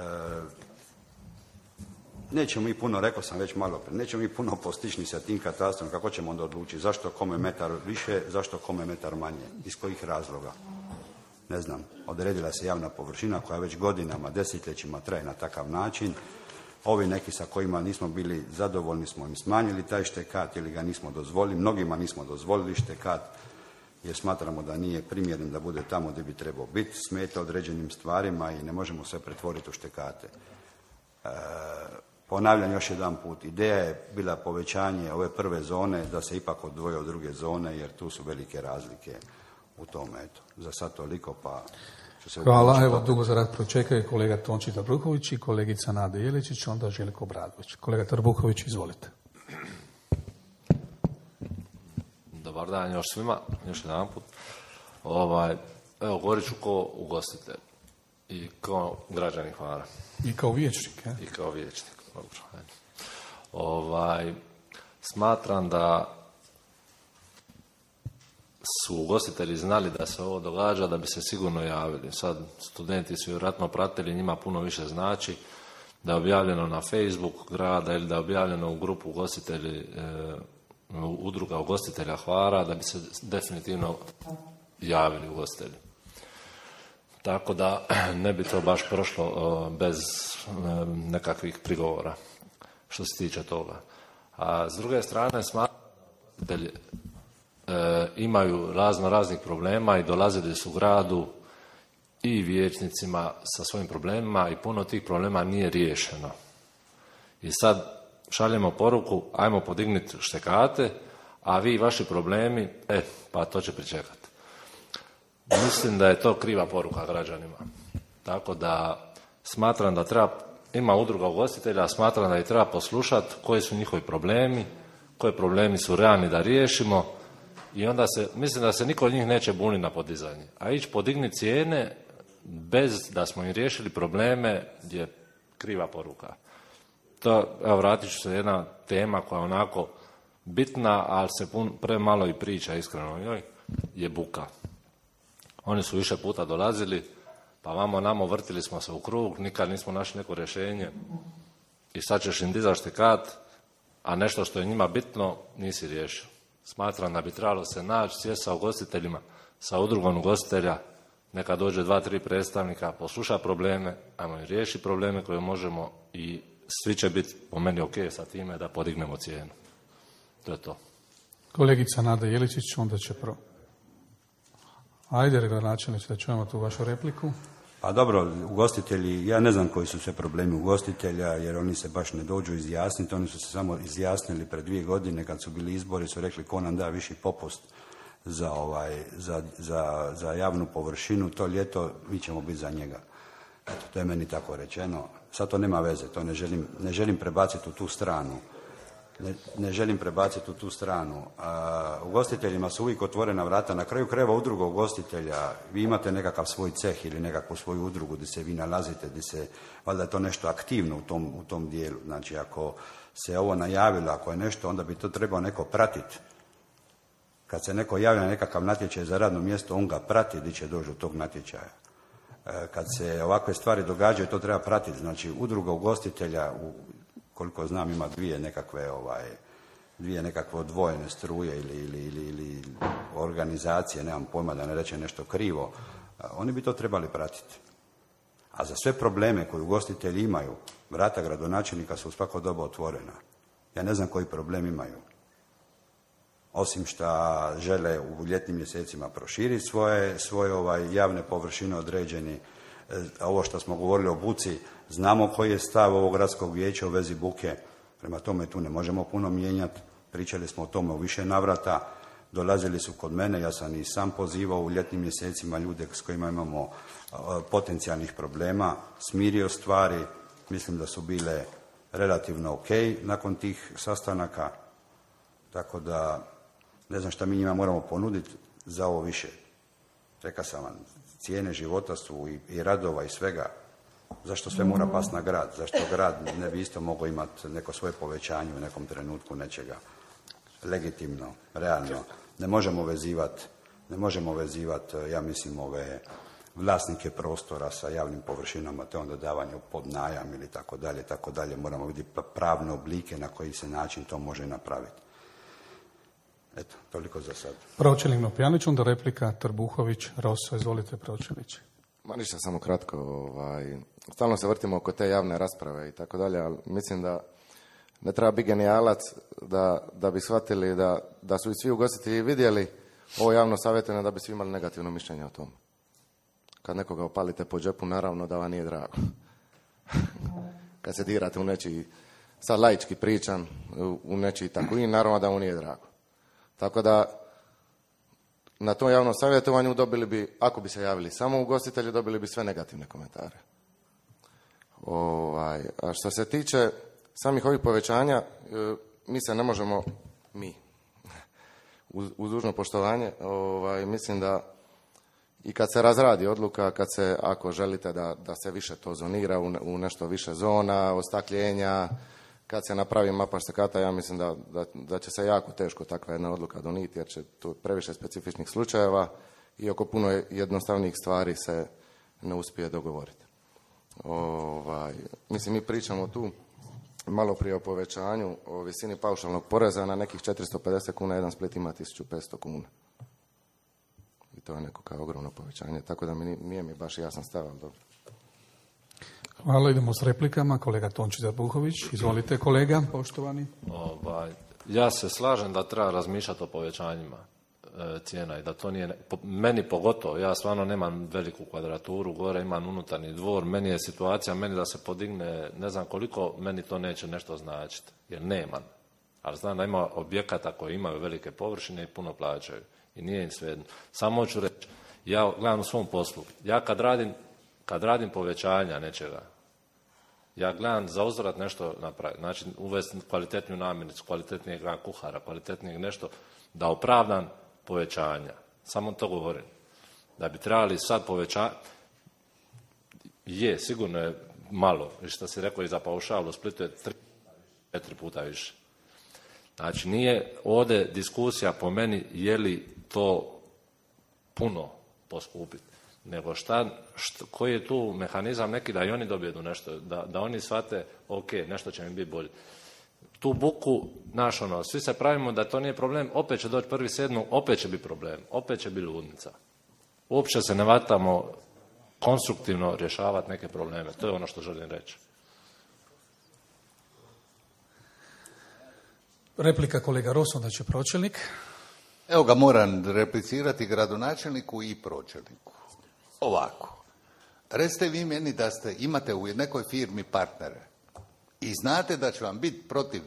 nećemo mi puno, rekao sam već malo prije, nećemo mi puno postići ni sa tim katastrom, kako ćemo onda odlučiti zašto kome metar više, zašto kome metar manje, iz kojih razloga. Ne znam, odredila se javna površina koja već godinama, desetljećima traje na takav način. Ovi neki sa kojima nismo bili zadovoljni smo im smanjili taj štekat ili ga nismo dozvolili. Mnogima nismo dozvolili štekat jer smatramo da nije primjeren da bude tamo gdje bi trebao biti. Smeta određenim stvarima i ne možemo sve pretvoriti u štekate. E, ponavljam još jedan put. Ideja je bila povećanje ove prve zone da se ipak odvoje od druge zone jer tu su velike razlike u tome. Eto, za sad toliko pa... Hvala, evo dugo za rad pročekaju kolega Tonči Trbruković i kolegica Nada Jeličić, onda Željko Obradović. Kolega Trbruković, izvolite. Dobar dan još svima, još jedan put. Ovaj, evo, govorit ću ko ugostitelj i kao građanin Hvara. I kao vijećnik, je? I kao vijećnik, dobro. Ovaj, smatram da su ugostitelji znali da se ovo događa, da bi se sigurno javili. Sad studenti su vjerojatno pratili, njima puno više znači da je objavljeno na Facebook grada ili da je objavljeno u grupu ugostitelji, e, udruga ugostitelja Hvara, da bi se definitivno javili ugostitelji. Tako da ne bi to baš prošlo o, bez e, nekakvih prigovora što se tiče toga. A s druge strane smatram da ugostitelji E, imaju razno raznih problema i dolazili su u gradu i vijećnicima sa svojim problemima i puno tih problema nije riješeno. I sad šaljemo poruku, ajmo podignuti štekate, a vi i vaši problemi, e, pa to će pričekati. Mislim da je to kriva poruka građanima. Tako da smatram da treba, ima udruga ugostitelja, smatram da ih treba poslušati koji su njihovi problemi, koji problemi su realni da riješimo. I onda se, mislim da se niko od njih neće buniti na podizanje. A ići podigni cijene bez da smo im riješili probleme je kriva poruka. To, evo, vratit ću se jedna tema koja onako bitna, ali se pun, premalo i priča, iskreno njoj, je buka. Oni su više puta dolazili, pa vamo namo vrtili smo se u krug, nikad nismo našli neko rješenje i sad ćeš im dizati štikat, a nešto što je njima bitno nisi riješio. Smatram da bi trebalo se naći, sjesti sa ugostiteljima, sa udrugom ugostitelja, neka dođe dva, tri predstavnika, posluša probleme, ajmo i riješi probleme koje možemo i svi će biti po meni ok sa time da podignemo cijenu. To je to. Kolegica Nada Jeličić, onda će prvo. Ajde, gradonačelniče, da čujemo tu vašu repliku. Pa dobro, ugostitelji, ja ne znam koji su sve problemi ugostitelja, jer oni se baš ne dođu izjasniti, oni su se samo izjasnili pred dvije godine kad su bili izbori, su rekli ko nam da viši popust za, ovaj, za, za, za javnu površinu, to ljeto mi ćemo biti za njega. Eto, to je meni tako rečeno. Sad to nema veze, to ne želim, ne želim prebaciti u tu stranu. Ne, ne želim prebaciti u tu stranu. A, ugostiteljima su uvijek otvorena vrata. Na kraju krajeva udruga ugostitelja, vi imate nekakav svoj ceh ili nekakvu svoju udrugu gdje se vi nalazite, gdje se, valjda je to nešto aktivno u tom, u tom dijelu. Znači, ako se ovo najavilo, ako je nešto, onda bi to trebao neko pratiti. Kad se neko javlja na nekakav natječaj za radno mjesto, on ga prati gdje će doći do tog natječaja. E, kad se ovakve stvari događaju, to treba pratiti. Znači, udruga ugostitelja, u, koliko znam, ima dvije nekakve, ovaj, dvije nekakve odvojene struje ili, ili, ili, ili organizacije, nemam pojma da ne reče nešto krivo, e, oni bi to trebali pratiti. A za sve probleme koje ugostitelji imaju, vrata gradonačelnika su u svako doba otvorena. Ja ne znam koji problem imaju. Osim što žele u ljetnim mjesecima proširiti svoje, svoje ovaj, javne površine određeni. Ovo što smo govorili o buci, znamo koji je stav ovog gradskog vijeća u vezi buke, prema tome tu ne možemo puno mijenjati. Pričali smo o tome u više navrata, dolazili su kod mene, ja sam i sam pozivao u ljetnim mjesecima ljude s kojima imamo potencijalnih problema, smirio stvari, mislim da su bile relativno ok nakon tih sastanaka, tako da ne znam šta mi njima moramo ponuditi za ovo više. Rekao sam vam, cijene života su i, i radova i svega. Zašto sve mora pasti na grad? Zašto grad ne bi isto mogao imati neko svoje povećanje u nekom trenutku nečega? Legitimno, realno. Ne možemo vezivati, ne možemo vezivati, ja mislim, ove vlasnike prostora sa javnim površinama, te onda davanje pod najam ili tako dalje, tako dalje. Moramo vidjeti pravne oblike na koji se način to može napraviti. Eto, toliko za sad. Pročelnik Nopjanić, onda replika Trbuhović, Rosso, izvolite pročelniče. Ma ništa, samo kratko. Ovaj, stalno se vrtimo oko te javne rasprave i tako dalje, ali mislim da ne treba biti genijalac da, da bi shvatili da, da su i svi ugostitelji vidjeli ovo javno savjetovanje da bi svi imali negativno mišljenje o tom. Kad nekoga opalite po džepu, naravno da vam nije drago. Kad se dirate u nečiji, sad laički pričam, u nečiji tako i naravno da mu nije drago. Tako da na tom javnom savjetovanju dobili bi, ako bi se javili samo ugostitelji, dobili bi sve negativne komentare. Ovaj, a što se tiče samih ovih povećanja, mi se ne možemo, mi, uz, uz dužno poštovanje, ovaj, mislim da i kad se razradi odluka, kad se, ako želite da, da se više to zonira u, u nešto više zona, ostakljena, kad se napravi mapa štekata, ja mislim da, da, da će se jako teško takva jedna odluka donijeti, jer će tu previše specifičnih slučajeva i oko puno jednostavnijih stvari se ne uspije dogovoriti. Ovaj, mislim, mi pričamo tu malo prije o povećanju, o visini paušalnog poreza na nekih četiristo pedeset kuna, jedan Split ima tisuću petsto kuna. I to je neko kao ogromno povećanje, tako da mi nije mi baš jasan stav, ali dobro. Hvala, idemo s replikama. Kolega Tonči Zabuhović, izvolite kolega, poštovani. Ovaj, ja se slažem da treba razmišljati o povećanjima e, cijena i da to nije, po, meni pogotovo, ja stvarno nemam veliku kvadraturu, gore imam unutarnji dvor, meni je situacija, meni da se podigne ne znam koliko, meni to neće nešto značiti, jer nemam. Ali znam da ima objekata koji imaju velike površine i puno plaćaju i nije im svejedno. Samo ću reći, ja gledam u svom poslu, ja kad radim, kad radim povećanja nečega, ja gledam za uzvrat nešto napraviti, znači uvesti kvalitetniju namirnicu, kvalitetnijeg kuhara, kvalitetnijeg nešto, da opravdam povećanja. Samo to govorim. Da bi trebali sad povećati, je, sigurno je malo, što si rekao i za paušal, u Splitu je tri, četiri puta više. Znači nije ovdje diskusija po meni je li to puno poskupiti, nego šta, šta, koji je tu mehanizam neki da i oni dobiju nešto, da, da oni shvate ok, nešto će mi biti bolje. Tu buku, naš ono, svi se pravimo da to nije problem, opet će doći prvi sedmog, opet će biti problem, opet će biti ludnica. Uopće se ne vatamo konstruktivno rješavati neke probleme, to je ono što želim reći. Replika kolega Ros, onda će pročelnik. Evo ga, moram replicirati gradonačelniku i pročelniku. Ovako, recite vi meni da ste, imate u nekoj firmi partnere i znate da će vam biti protiv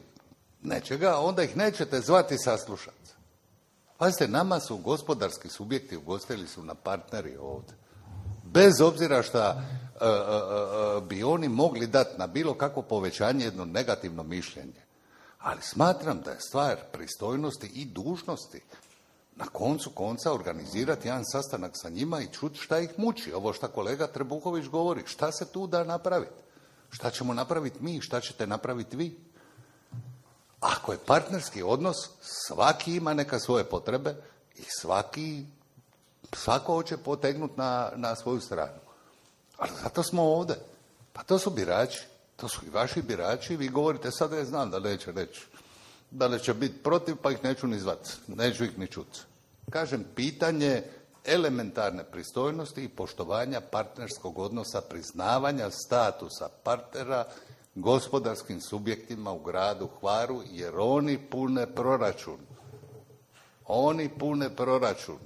nečega, onda ih nećete zvati saslušati. Pazite, nama su gospodarski subjekti, ugostitelji su na partneri ovdje. Bez obzira šta uh, uh, uh, bi oni mogli dati na bilo kakvo povećanje jedno negativno mišljenje. Ali smatram da je stvar pristojnosti i dužnosti na koncu konca organizirati jedan sastanak sa njima i čuti šta ih muči. Ovo što kolega Trbuhović govori, šta se tu da napraviti? Šta ćemo napraviti mi, šta ćete napraviti vi? Ako je partnerski odnos, svaki ima neka svoje potrebe i svaki, svako hoće potegnuti na, na svoju stranu. Ali zato smo ovdje. Pa to su birači. To su i vaši birači, vi govorite sad ja znam da neće reći, da li će biti protiv pa ih neću ni zvati, neću ih ni čuti. Kažem, pitanje elementarne pristojnosti i poštovanja partnerskog odnosa, priznavanja statusa partnera gospodarskim subjektima u gradu Hvaru, jer oni pune proračun. Oni pune proračun.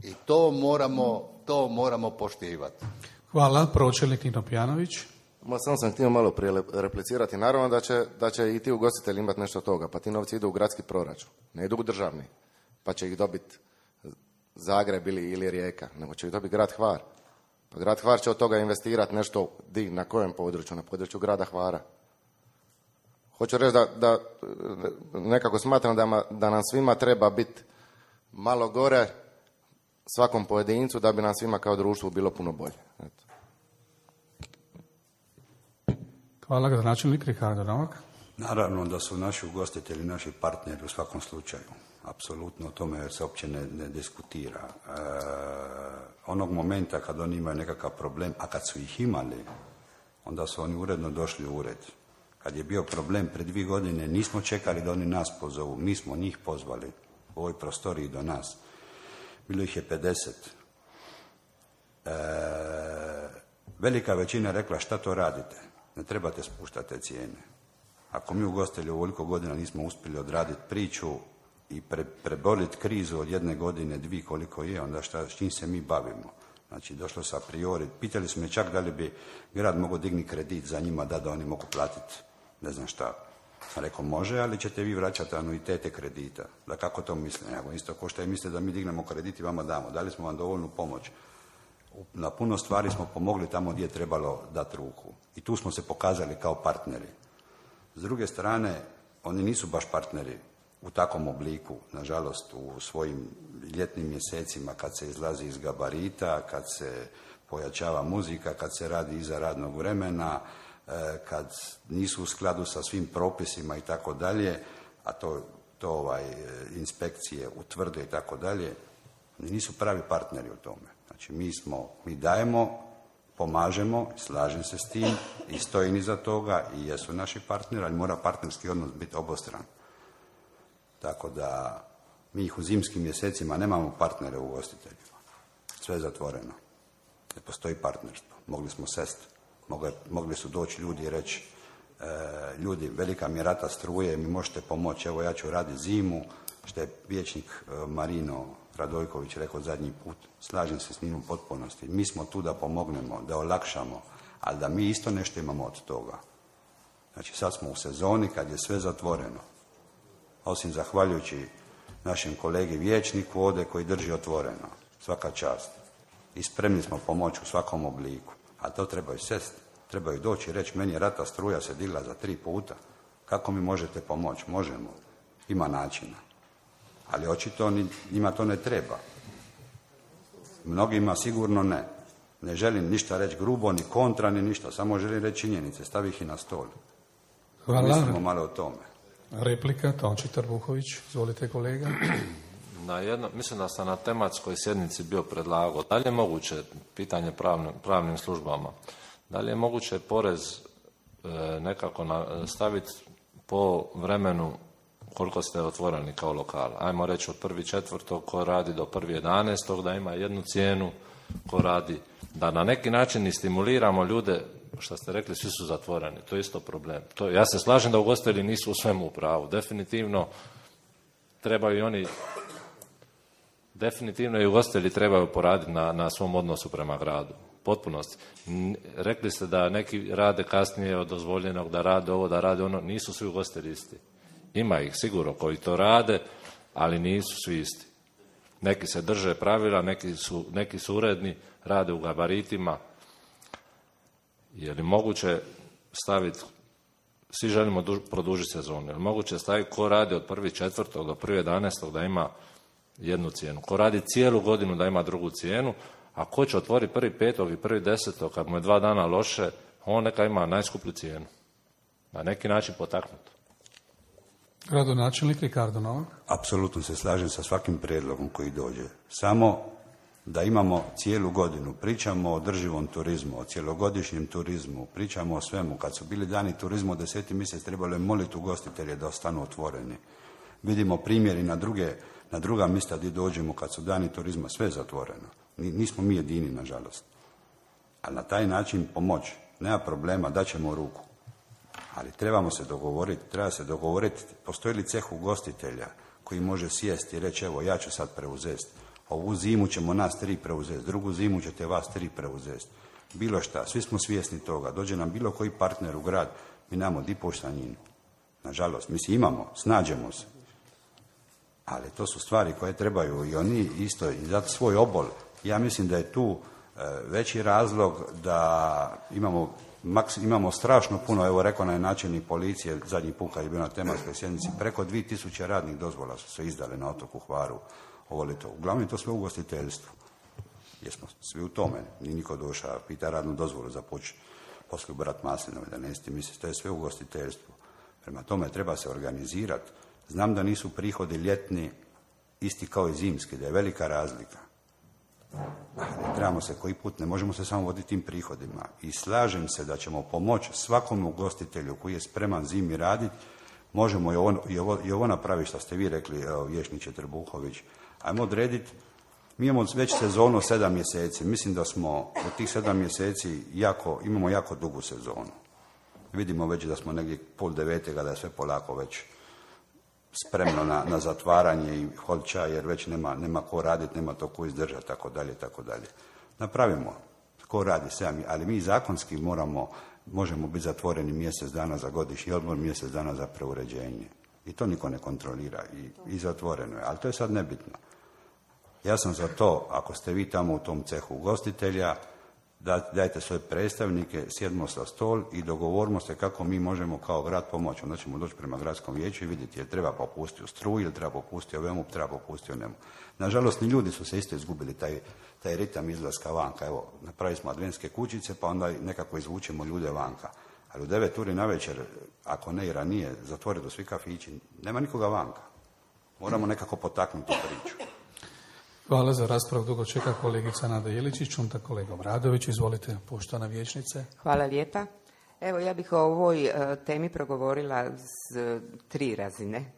I to moramo, to moramo poštivati. Hvala, pročelnik Nino Pjanović. Ma samo sam htio malo prije replicirati. Naravno da će, da će i ti ugostitelji imati nešto od toga, pa ti novci idu u gradski proračun, ne idu u državni, pa će ih dobiti Zagreb ili, ili Rijeka, nego će ih dobiti grad Hvar. Pa grad Hvar će od toga investirati nešto, di, na kojem području, na području grada Hvara. Hoću reći da, da nekako smatram da, da nam svima treba biti malo gore, svakom pojedincu, da bi nam svima kao društvu bilo puno bolje. Eto. Hvala, gradonačelnik Rihardo Novak. Naravno da su naši ugostitelji naši partneri u svakom slučaju. Apsolutno o tome se uopće ne, ne diskutira. E, onog momenta kad oni imaju nekakav problem, a kad su ih imali, onda su oni uredno došli u ured. Kad je bio problem pred dvije godine, nismo čekali da oni nas pozovu, mi smo njih pozvali u ovoj prostoriji do nas. Bilo ih je pedeset. E, velika većina rekla šta to radite, ne trebate spuštati te cijene. Ako mi ugostitelji ovoliko godina nismo uspjeli odraditi priču i pre, preboliti krizu od jedne godine, dvije koliko je, onda šta, s čim se mi bavimo? Znači, došlo se a priori, pitali su me čak da li bi grad mogao dignuti kredit za njima da, da oni mogu platiti, ne znam šta. Sam rekao, može, ali ćete vi vraćati anuitete kredita. Da kako to misle? Nego isto ko što je misle da mi dignemo kredit i vama damo. Dali smo vam dovoljnu pomoć. Na puno stvari smo pomogli tamo gdje je trebalo dati ruku. I tu smo se pokazali kao partneri. S druge strane, oni nisu baš partneri u takvom obliku, nažalost, u svojim ljetnim mjesecima kad se izlazi iz gabarita, kad se pojačava muzika, kad se radi iza radnog vremena, kad nisu u skladu sa svim propisima i tako dalje, a to, to ovaj, inspekcije utvrde i tako dalje, oni nisu pravi partneri u tome. Znači, mi smo, mi dajemo, pomažemo, slažem se s tim i stojim iza toga i jesu naši partneri, ali mora partnerski odnos biti obostran. Tako da mi ih u zimskim mjesecima nemamo partnere u ugostiteljima. Sve je zatvoreno. Ne postoji partnerstvo. Mogli smo sesti. Mogli, mogli su doći ljudi i reći e, ljudi, velika mi je rata struje, mi možete pomoći, evo ja ću raditi zimu, što je vijećnik e, Marino Radojković rekao zadnji put, slažem se s njim u potpunosti. Mi smo tu da pomognemo, da olakšamo, ali da mi isto nešto imamo od toga. Znači sad smo u sezoni kad je sve zatvoreno. Osim zahvaljujući našem kolegi vijećniku ovdje koji drži otvoreno. Svaka čast. I spremni smo pomoći u svakom obliku. A to trebaju sest, trebaju doći i reći meni je rata struja se digla za tri puta. Kako mi možete pomoći? Možemo. Ima načina. Ali očito njima to ne treba. Mnogima sigurno ne. Ne želim ništa reći grubo, ni kontra, ni ništa. Samo želim reći činjenice. Stavi ih i na stol. Hvala. Mislimo malo o tome. Replika, Tonči Trbuhović. Izvolite kolega. Na jedno, mislim da sam na tematskoj sjednici bio predlagao. Da li je moguće, pitanje pravnim, pravnim službama, da li je moguće porez e, nekako na, staviti po vremenu koliko ste otvoreni kao lokal. Ajmo reći od prvi četvrtog ko radi do prvi jedanaestog da ima jednu cijenu, ko radi, da na neki način i stimuliramo ljude, što ste rekli, svi su zatvoreni, to je isto problem. To, ja se slažem da ugostitelji nisu u svemu u pravu, definitivno trebaju i oni, definitivno i ugostitelji trebaju poraditi na, na svom odnosu prema gradu, potpunosti. Rekli ste da neki rade kasnije od dozvoljenog, da rade ovo, da rade ono, nisu svi ugostitelji isti. Ima ih sigurno koji to rade, ali nisu svi isti. Neki se drže pravila, neki su, neki su uredni, rade u gabaritima. Je li moguće staviti, svi želimo duž, produžiti sezonu, je li moguće staviti ko radi od prvi četvrtog do prvi jedanaestog da ima jednu cijenu, ko radi cijelu godinu da ima drugu cijenu, a ko će otvoriti prvi petog i prvi desetog, kad mu je dva dana loše, on neka ima najskuplju cijenu. Na neki način potaknuto. Gradonačelnik Ricardo Novak. Apsolutno se slažem sa svakim prijedlogom koji dođe. Samo da imamo cijelu godinu, pričamo o održivom turizmu, o cjelogodišnjem turizmu, pričamo o svemu. Kad su bili dani turizmu od deseti mjesec, trebalo je moliti ugostitelje da ostanu otvoreni. Vidimo primjeri na, druge, na druga mjesta gdje dođemo kad su dani turizma, sve je zatvoreno. Nismo mi jedini, nažalost. Ali na taj način pomoći. Nema problema, daćemo ruku. Ali trebamo se dogovoriti, treba se dogovoriti, postoji li ceh ugostitelja koji može sjesti i reći, evo ja ću sad preuzeti. Ovu zimu ćemo nas tri preuzeti, drugu zimu ćete vas tri preuzeti. Bilo šta, svi smo svjesni toga. Dođe nam bilo koji partner u grad, mi nemamo di poštanjinu. Nažalost, mi si imamo, snađemo se. Ali to su stvari koje trebaju i oni isto, i dati svoj obol. Ja mislim da je tu e, veći razlog da imamo, maks, imamo strašno puno, evo rekao na načelnik policije, zadnji put kad je bio na tematskoj sjednici, preko dvije tisuće radnih dozvola su se izdale na otoku Hvaru ovo ljeto. Uglavnom je to sve u ugostiteljstvu. Jesmo svi u tome, ni niko došao, pita radnu dozvolu za poč, poslije brat maslinove, da nesti misli, to je sve u ugostiteljstvu. Prema tome treba se organizirati. Znam da nisu prihodi ljetni isti kao i zimski, da je velika razlika. Ali trebamo se koji put, ne možemo se samo voditi tim prihodima. I slažem se da ćemo pomoći svakom ugostitelju koji je spreman zimi raditi. Možemo i ovo, i ovo, i ovo napraviti što ste vi rekli, evo, vijećniče Trbuhović. Ajmo odrediti, mi imamo već sezonu sedam mjeseci. Mislim da smo od tih sedam mjeseci jako, imamo jako dugu sezonu. Vidimo već da smo negdje pol devetega, da je sve polako već spremno na, na zatvaranje i hodča, jer već nema, nema ko raditi, nema to ko izdržati, tako dalje, tako dalje. Napravimo, ko radi sedam, ali mi zakonski moramo, možemo biti zatvoreni mjesec dana za godišnji odmor, mjesec dana za preuređenje. I to niko ne kontrolira i, i zatvoreno je, ali to je sad nebitno. Ja sam za to, ako ste vi tamo u tom cehu ugostitelja, da, dajte svoje predstavnike, sjedmo sa stol i dogovorimo se kako mi možemo kao grad pomoći. Onda ćemo doći prema gradskom vijeću i vidjeti jel treba popustiti u struju, jel treba popustiti o vemu, treba popustiti o nemu. Nažalost, ni ljudi su se isto izgubili taj, taj ritam izlaska vanka. Evo, napravili smo adventske kućice, pa onda nekako izvučemo ljude vanka. Ali u devet uri navečer, ako ne i ranije, zatvore do svi kafići, nema nikoga vanka. Moramo nekako potaknuti priču. Hvala za raspravu. Dugo čeka kolegica Nada Jeličić, onda kolega Obradović. Izvolite, poštovana vijećnice. Hvala lijepa. Evo, ja bih o ovoj uh, temi progovorila s uh, tri razine.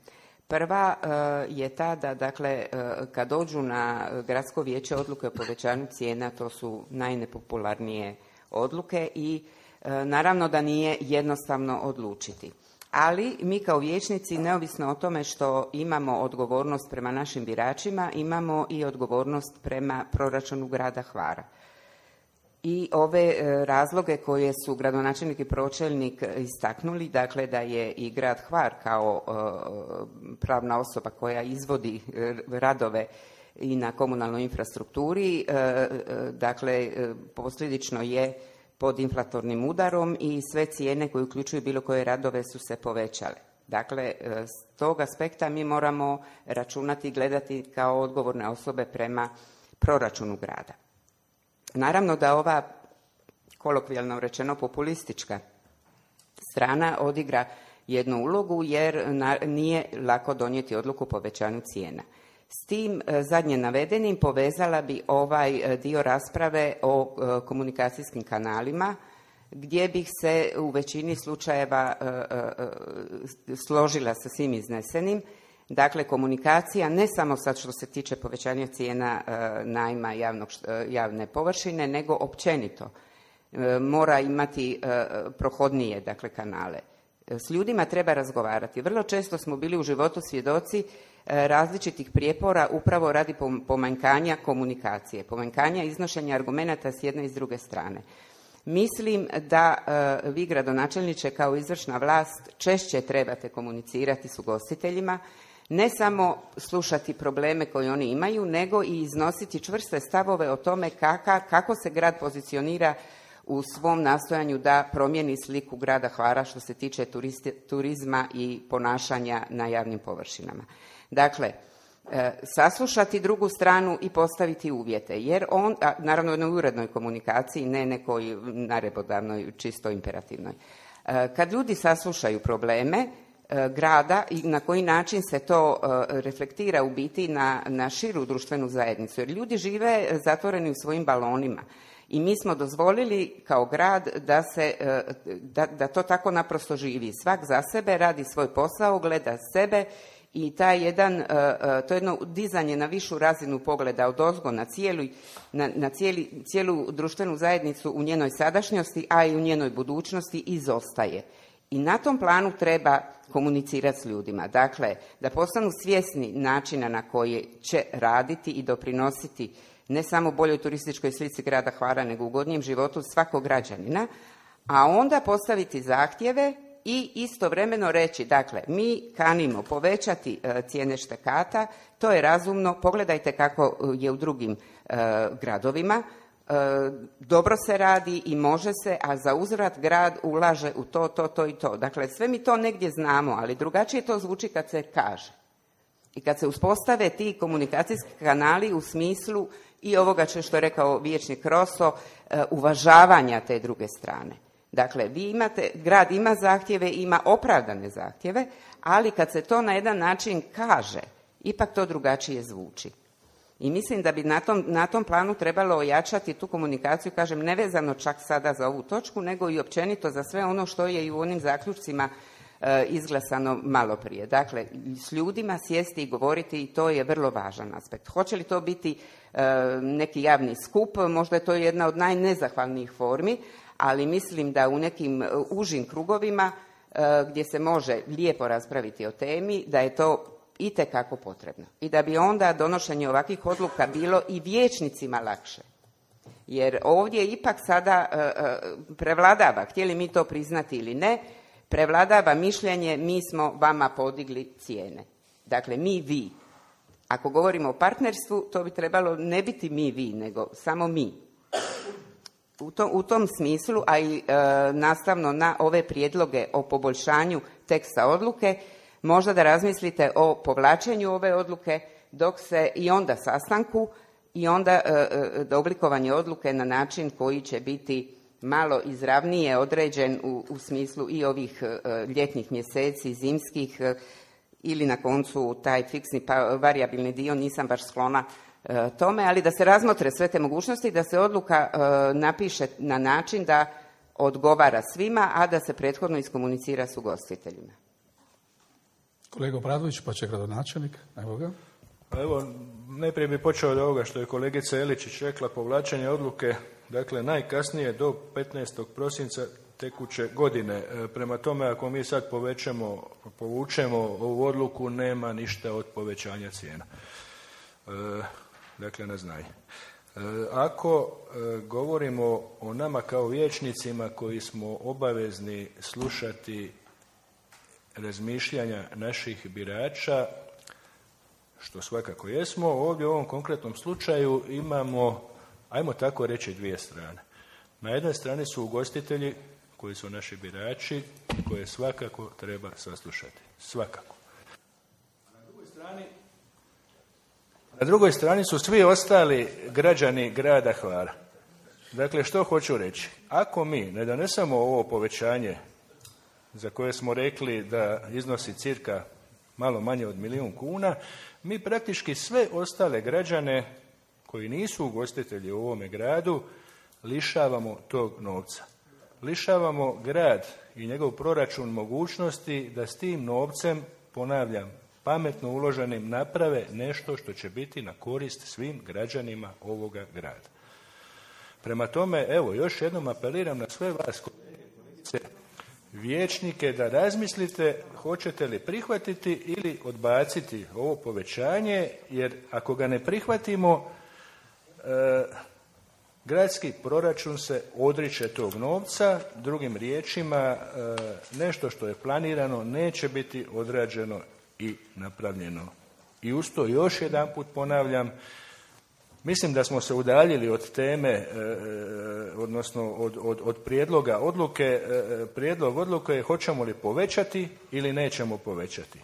Prva uh, je ta da, dakle, uh, kad dođu na gradsko vijeće odluke o povećanju cijena, to su najnepopularnije odluke i uh, naravno da nije jednostavno odlučiti. Ali mi kao vijećnici, neovisno o tome što imamo odgovornost prema našim biračima, imamo i odgovornost prema proračunu grada Hvara. I ove razloge koje su gradonačelnik i pročelnik istaknuli, dakle da je i grad Hvar kao pravna osoba koja izvodi radove i na komunalnoj infrastrukturi, dakle posljedično je pod inflatornim udarom i sve cijene koje uključuju bilo koje radove su se povećale. Dakle, s tog aspekta mi moramo računati i gledati kao odgovorne osobe prema proračunu grada. Naravno da ova, kolokvijalno rečeno, populistička strana odigra jednu ulogu jer na, nije lako donijeti odluku o povećanju cijena. S tim zadnje navedenim povezala bi ovaj dio rasprave o komunikacijskim kanalima, gdje bih se u većini slučajeva složila sa svim iznesenim. Dakle, komunikacija ne samo sad što se tiče povećanja cijena najma javnog, javne površine, nego općenito mora imati prohodnije, dakle, kanale. S ljudima treba razgovarati. Vrlo često smo bili u životu svjedoci različitih prijepora upravo radi pomanjkanja komunikacije, pomanjkanja iznošenja argumenata s jedne i s druge strane. Mislim da uh, vi, gradonačelniče, kao izvršna vlast češće trebate komunicirati s ugostiteljima, ne samo slušati probleme koje oni imaju, nego i iznositi čvrste stavove o tome kaka, kako se grad pozicionira u svom nastojanju da promijeni sliku grada Hvara što se tiče turisti, turizma i ponašanja na javnim površinama. Dakle, e, saslušati drugu stranu i postaviti uvjete, jer on, a, naravno na urednoj komunikaciji, ne nekoj narebodavnoj, čisto imperativnoj. E, kad ljudi saslušaju probleme e, grada i na koji način se to e, reflektira u biti na, na širu društvenu zajednicu, jer ljudi žive zatvoreni u svojim balonima. I mi smo dozvolili kao grad da, se, da, da to tako naprosto živi. Svak za sebe radi svoj posao, gleda sebe i taj jedan, to jedno dizanje na višu razinu pogleda odozgo na, cijelu, na, na cijeli, cijelu društvenu zajednicu u njenoj sadašnjosti, a i u njenoj budućnosti izostaje. I na tom planu treba komunicirati s ljudima. Dakle, da postanu svjesni načina na koji će raditi i doprinositi ne samo boljoj turističkoj slici grada Hvara, nego ugodnijem životu svakog građanina, a onda postaviti zahtjeve i istovremeno reći, dakle, mi kanimo povećati e, cijene štekata, to je razumno, pogledajte kako je u drugim e, gradovima, e, dobro se radi i može se, a za uzvrat grad ulaže u to, to, to i to. Dakle, sve mi to negdje znamo, ali drugačije to zvuči kad se kaže. I kad se uspostave ti komunikacijski kanali u smislu i ovoga što je rekao vijećnik Roso, uvažavanja te druge strane. Dakle, vi imate, grad ima zahtjeve, ima opravdane zahtjeve, ali kad se to na jedan način kaže, ipak to drugačije zvuči. I mislim da bi na tom, na tom planu trebalo ojačati tu komunikaciju, kažem, nevezano čak sada za ovu točku, nego i općenito za sve ono što je i u onim zaključcima e, izglasano malo prije. Dakle, s ljudima sjesti i govoriti, i to je vrlo važan aspekt. Hoće li to biti e, neki javni skup, možda je to jedna od najnezahvalnijih formi, ali mislim da u nekim užim krugovima e, gdje se može lijepo raspraviti o temi, da je to itekako potrebno. I da bi onda donošenje ovakvih odluka bilo i vijećnicima lakše. Jer ovdje ipak sada e, e, prevladava, htjeli mi to priznati ili ne, prevladava mišljenje mi smo vama podigli cijene. Dakle, mi vi. Ako govorimo o partnerstvu, to bi trebalo ne biti mi vi, nego samo mi. U tom, u tom smislu, a i e, nastavno na ove prijedloge o poboljšanju teksta odluke, možda da razmislite o povlačenju ove odluke dok se i onda sastanku i onda e, e, oblikovanje odluke na način koji će biti malo izravnije određen u, u smislu i ovih e, ljetnih mjeseci, zimskih e, ili na koncu taj fiksni pa, varijabilni dio, nisam baš sklona e, tome, ali da se razmotre sve te mogućnosti i da se odluka e, napiše na način da odgovara svima, a da se prethodno iskomunicira s ugostiteljima. Kolega Obradović, pa će gradonačelnik. Evo ga. Evo, najprije bi počeo od ovoga što je kolegica Eličić rekla, povlačenje odluke, dakle, najkasnije do petnaestog prosinca tekuće godine. Prema tome, ako mi sad povećamo, povučemo ovu odluku, nema ništa od povećanja cijena. E, dakle, na znanje. E, ako e, govorimo o nama kao vijećnicima koji smo obavezni slušati razmišljanja naših birača, što svakako jesmo, ovdje u ovom konkretnom slučaju imamo, ajmo tako reći, dvije strane. Na jednoj strani su ugostitelji koji su naši birači, koje svakako treba saslušati. Svakako. A na drugoj strani, na drugoj strani su svi ostali građani grada Hvara. Dakle, što hoću reći? Ako mi ne donesemo ovo povećanje za koje smo rekli da iznosi cirka malo manje od milijun kuna, mi praktički sve ostale građane koji nisu ugostitelji u ovome gradu lišavamo tog novca. Lišavamo grad i njegov proračun mogućnosti da s tim novcem, ponavljam, pametno uloženim naprave nešto što će biti na korist svim građanima ovoga grada. Prema tome, evo, još jednom apeliram na sve vas, kolegice, vijećnike, da razmislite hoćete li prihvatiti ili odbaciti ovo povećanje, jer ako ga ne prihvatimo, e, gradski proračun se odriče tog novca, drugim riječima, e, nešto što je planirano neće biti odrađeno i napravljeno. I uz to još jedanput ponavljam, mislim da smo se udaljili od teme, e, odnosno od, od, od prijedloga odluke. E, prijedlog odluke je hoćemo li povećati ili nećemo povećati. E,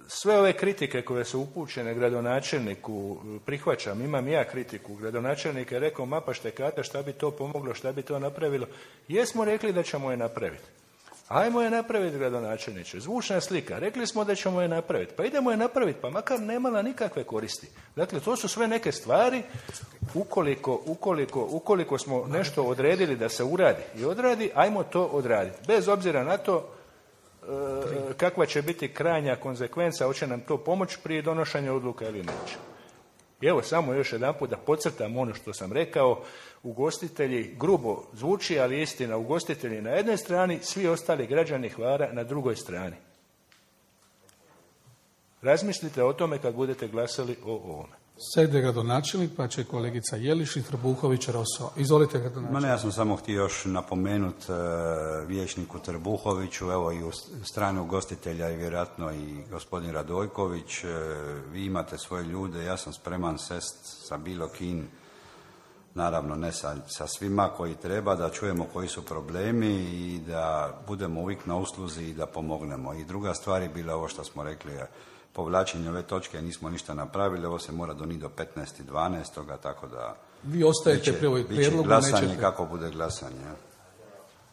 sve ove kritike koje su upućene gradonačelniku prihvaćam, imam i ja kritiku. Gradonačelnik je rekao, mapa štekata, šta bi to pomoglo, šta bi to napravilo. Jesmo rekli da ćemo je napraviti. Ajmo je napraviti, gradonačelniče. Zvučna slika. Rekli smo da ćemo je napraviti. Pa idemo je napraviti, pa makar nemala nikakve koristi. Dakle, to su sve neke stvari. Ukoliko, ukoliko, ukoliko smo nešto odredili da se uradi i odradi, ajmo to odraditi. Bez obzira na to e, kakva će biti krajnja konzekvenca, hoće nam to pomoći prije donošenja odluka ili neće. I evo, samo još jedanput da podcrtam ono što sam rekao. Ugostitelji, grubo zvuči, ali istina, ugostitelji na jednoj strani, svi ostali građani Hvara na drugoj strani. Razmislite o tome kad budete glasali o ovome. Sede gradonačelnik, pa će kolegica Jeliš i Trbuhović Roso. Izvolite, gradonačelnik. Ma ne, ja sam samo htio još napomenuti uh, vijećniku Trbuhoviću, evo i u strani ugostitelja i vjerojatno i gospodin Radojković, uh, vi imate svoje ljude, ja sam spreman sest sa bilo kim, naravno ne sa, sa svima koji treba, da čujemo koji su problemi i da budemo uvijek na usluzi i da pomognemo. I druga stvar je bila ovo što smo rekli, povlačenje ove točke, nismo ništa napravili, ovo se mora donijeti do petnaestog dvanaestog tako da... Vi ostajete pri ovoj prijedlogu, glasanje nećete... kako bude glasanje.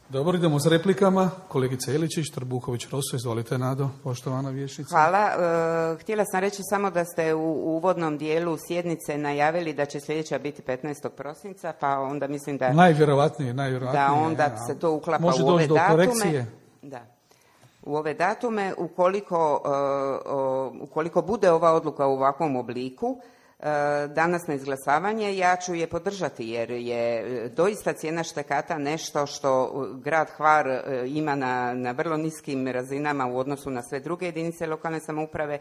Dobro, idemo s replikama. Kolegica Jeličić, Trbuhović Roso, izvolite, Nado, poštovana vijećnica. Hvala. E, htjela sam reći samo da ste u uvodnom dijelu sjednice najavili da će sljedeća biti petnaestog prosinca, pa onda mislim da... Najvjerovatnije, najvjerovatnije. Da onda ja. se to uklapa Može u ove do datume. Korekcije. Da. U ove datume, ukoliko, uh, uh, ukoliko bude ova odluka u ovakvom obliku, uh, danas na izglasavanje, ja ću je podržati, jer je doista cijena štekata nešto što grad Hvar uh, ima na, na vrlo niskim razinama u odnosu na sve druge jedinice lokalne samouprave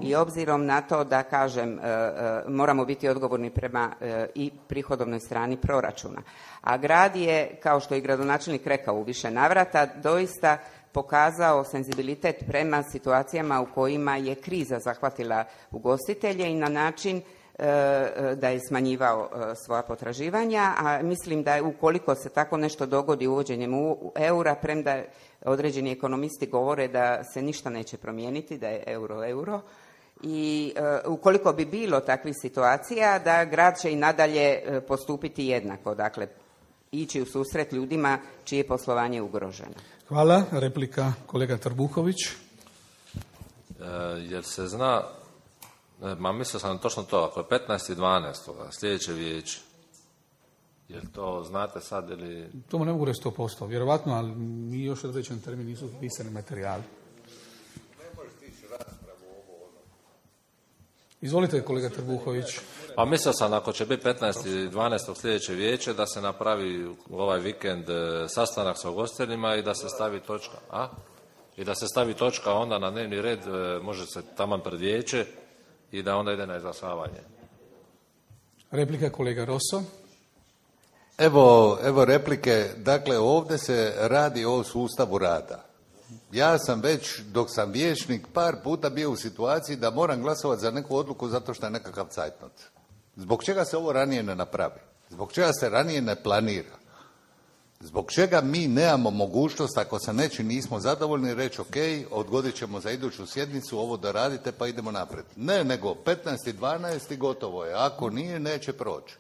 i obzirom na to da, kažem, uh, uh, moramo biti odgovorni prema uh, i prihodovnoj strani proračuna. A grad je, kao što je gradonačelnik rekao u više navrata, doista pokazao senzibilitet prema situacijama u kojima je kriza zahvatila ugostitelje i na način e, da je smanjivao e, svoja potraživanja, a mislim da ukoliko se tako nešto dogodi uvođenjem u eura, premda određeni ekonomisti govore da se ništa neće promijeniti, da je euro euro, i e, ukoliko bi bilo takvih situacija, da grad će i nadalje e, postupiti jednako, dakle ići u susret ljudima čije poslovanje je ugroženo. Hvala. Replika kolega Trbuhović. E, jer se zna, e, ma mislio sam točno to, ako je petnaestog dvanaestog sljedeće vijeće, jel to znate sad ili... To ne mogu reći sto posto, vjerovatno, ali mi još određen termin nisu pisani materijali. Izvolite, kolega Trbuhović. Pa mislio sam, ako će biti petnaestog dvanaestog sljedeće vijeće, da se napravi ovaj vikend sastanak sa ugostiteljima i da se stavi točka. A? I da se stavi točka onda na dnevni red, može se taman pred vijeće i da onda ide na izglasavanje. Replika kolega Roso. Evo, evo replike. Dakle, ovdje se radi o sustavu rada. Ja sam već, dok sam vijećnik, par puta bio u situaciji da moram glasovati za neku odluku zato što je nekakav cajtnot. Zbog čega se ovo ranije ne napravi? Zbog čega se ranije ne planira? Zbog čega mi nemamo mogućnost, ako sa nečim nismo zadovoljni, reći ok, odgodit ćemo za iduću sjednicu ovo da radite pa idemo naprijed. Ne, nego petnaestog dvanaestog gotovo je. Ako nije, neće proći.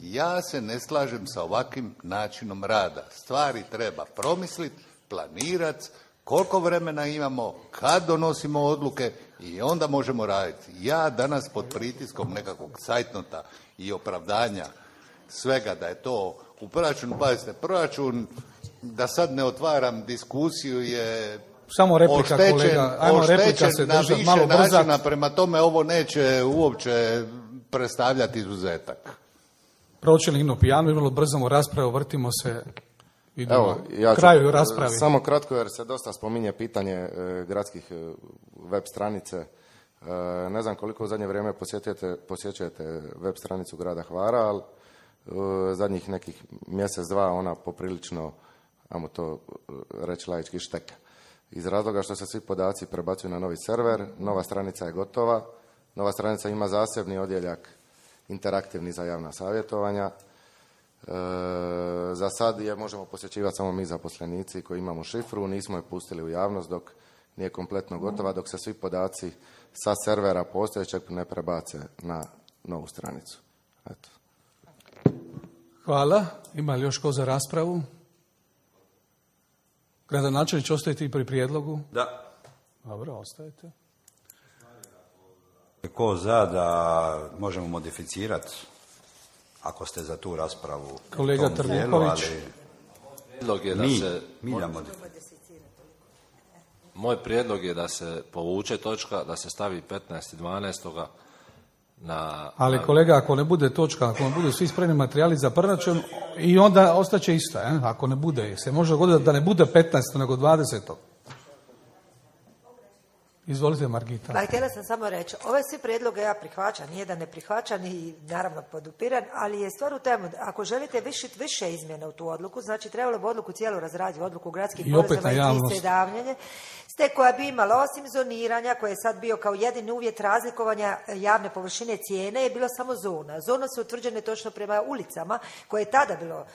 Ja se ne slažem sa ovakvim načinom rada. Stvari treba promisliti, planirati koliko vremena imamo, kad donosimo odluke i onda možemo raditi. Ja danas pod pritiskom nekakvog cajtnota i opravdanja svega da je to u proračunu, pazite, proračun, da sad ne otvaram diskusiju, je samo replika, oštećen, kolega. Ajmo, replika se na držat, više malo brzat. načina, prema tome ovo neće uopće predstavljati izuzetak. Pročelnik Nino Pijano, vrlo brzamo raspravu, vrtimo se, idemo Evo, ja ću, kraju raspravi. Samo kratko, jer se dosta spominje pitanje e, gradskih e, web stranice. E, ne znam koliko u zadnje vrijeme posjećujete, posjećujete web stranicu grada Hvara, ali e, zadnjih nekih mjesec, dva ona poprilično, ajmo to reći laički, šteka. Iz razloga što se svi podaci prebacuju na novi server, nova stranica je gotova, nova stranica ima zasebni odjeljak interaktivni za javna savjetovanja. E, za sad je možemo posjećivati samo mi zaposlenici koji imamo šifru, nismo je pustili u javnost dok nije kompletno gotova, dok se svi podaci sa servera postojećeg ne prebace na novu stranicu. Eto. Hvala. Ima li još ko za raspravu? Gradonačelniče, ostajete i pri prijedlogu? Da. Dobro, ostajete. Ko za da možemo modificirati, ako ste za tu raspravu. Kolega Trniković. Prijedlog je da Mi, se, Milja modificira. moj prijedlog je da se povuče točka, da se stavi petnaesti dvanaesti na... Ali na, kolega, ako ne bude točka, ako ne budu svi spremni materijali za proračun, i onda ostaće ista, eh? Ako ne bude, se može dogoditi da ne bude petnaest nego dvadeset. Izvolite, Margita. Pa htjela sam samo reći, ove svi prijedloge ja prihvaćam, nije da ne prihvaćam i naravno podupiran, ali je stvar u temu, ako želite višiti više izmjena u tu odluku, znači trebalo bi odluku cijelu razraditi, odluku gradskih porezima i tridavnjanje, ste koja bi imala osim zoniranja, koje je sad bio kao jedini uvjet razlikovanja javne površine cijene, je bilo samo zona. Zona su utvrđene točno prema ulicama, koje je tada bilo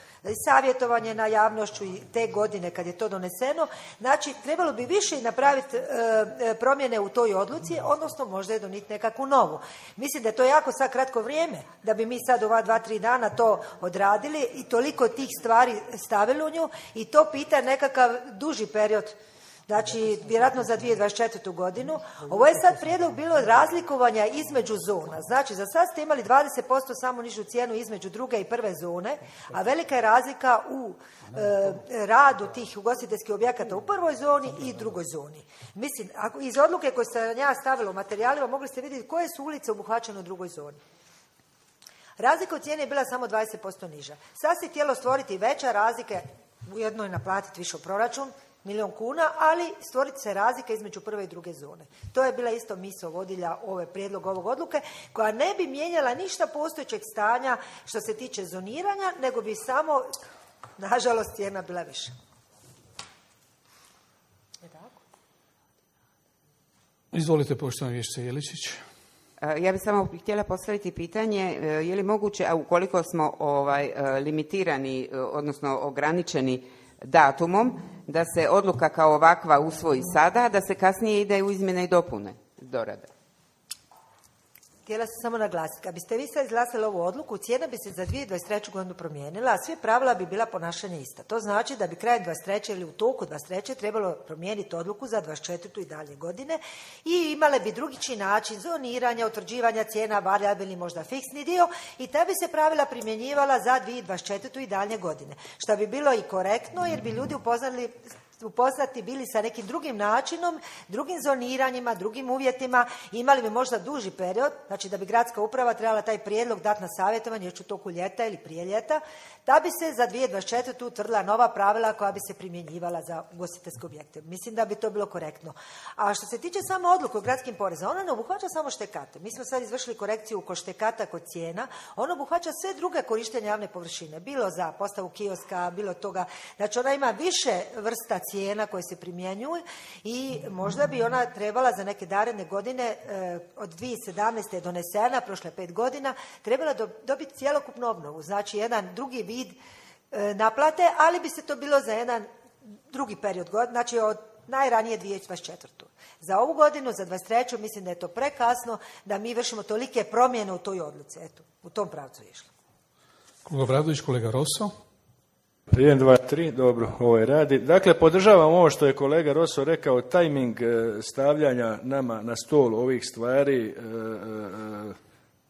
savjetovanje na javnošću i te godine kad je to doneseno. Znači, trebalo bi više napraviti e, promjene u toj odluci, odnosno možda je doniti nekakvu novu. Mislim da je to jako sad kratko vrijeme, da bi mi sad ova dva, tri dana to odradili i toliko tih stvari stavili u nju i to pita nekakav duži period. Znači, vjerojatno za dvije tisuće dvadeset četvrtu godinu. Ovo je sad prijedlog bilo razlikovanja između zona. Znači, za sad ste imali dvadeset posto samo nižu cijenu između druge i prve zone, a velika je razlika u e, radu tih ugostiteljskih objekata u prvoj zoni i drugoj zoni. Mislim, ako, iz odluke koje sam ja stavila u materijalima, mogli ste vidjeti koje su ulice obuhvaćene u drugoj zoni. Razlika u cijeni je bila samo dvadeset posto niža. Sad se htjelo stvoriti veća razlika, ujedno je naplatiti više u proračun, milijon kuna, ali stvoriti se razlika između prve i druge zone. To je bila isto misao vodilja ove prijedlog ovog odluke, koja ne bi mijenjala ništa postojećeg stanja što se tiče zoniranja, nego bi samo, nažalost, cijena bila viša. Je tako? Izvolite, poštovana vijećnice Jeličić. Ja bih samo htjela postaviti pitanje, je li moguće, a ukoliko smo ovaj, limitirani, odnosno ograničeni datumom, da se odluka kao ovakva usvoji sada, da se kasnije ide u izmjene i dopune dorade. Htjela sam samo naglasiti, kad biste vi sad izglasali ovu odluku, cijena bi se za dvije tisuće dvadeset treću godinu promijenila, a sve pravila bi bila ponašanje ista. To znači da bi krajem dvadeset treće ili u toku dvadeset treće trebalo promijeniti odluku za dvadeset četvrtu i dalje godine i imale bi drugičiji način zoniranja, utvrđivanja cijena, varijabilni, možda fiksni dio, i ta bi se pravila primjenjivala za dvije tisuće dvadeset četvrtu i dalje godine. Što bi bilo i korektno, jer bi ljudi upoznali upoznati bili sa nekim drugim načinom, drugim zoniranjima, drugim uvjetima, imali bi možda duži period, znači da bi gradska uprava trebala taj prijedlog dati na savjetovanje još u toku ljeta ili prije ljeta, da bi se za dvije tisuće dvadeset četvrtu utvrdila nova pravila koja bi se primjenjivala za ugostiteljske objekte. Mislim da bi to bilo korektno. A što se tiče samo odluke o gradskim porezima, ona ne obuhvaća samo štekate. Mi smo sad izvršili korekciju kod štekata, kod cijena. Ona obuhvaća sve druge korištenja javne površine, bilo za postavu kioska, bilo toga. Znači ona ima više vrsta cijena koje se primjenjuju i možda bi ona trebala za neke naredne godine, eh, od dvije tisuće sedamnaeste je donesena, prošle pet godina, trebala do, dobiti cjelokupnu obnovu. Znači jedan drugi vid eh, naplate, ali bi se to bilo za jedan drugi period godina, znači od najranije dvije tisuće dvadeset četvrtu. Za ovu godinu, za dvadeset treću mislim da je to prekasno da mi vršimo tolike promjene u toj odluci. Eto, u tom pravcu je išlo. Kolega Bradović, kolega Rosso. jedan, dva, tri, dobro, ovo je radi. Dakle, podržavam ovo što je kolega Roso rekao, tajming stavljanja nama na stol ovih stvari.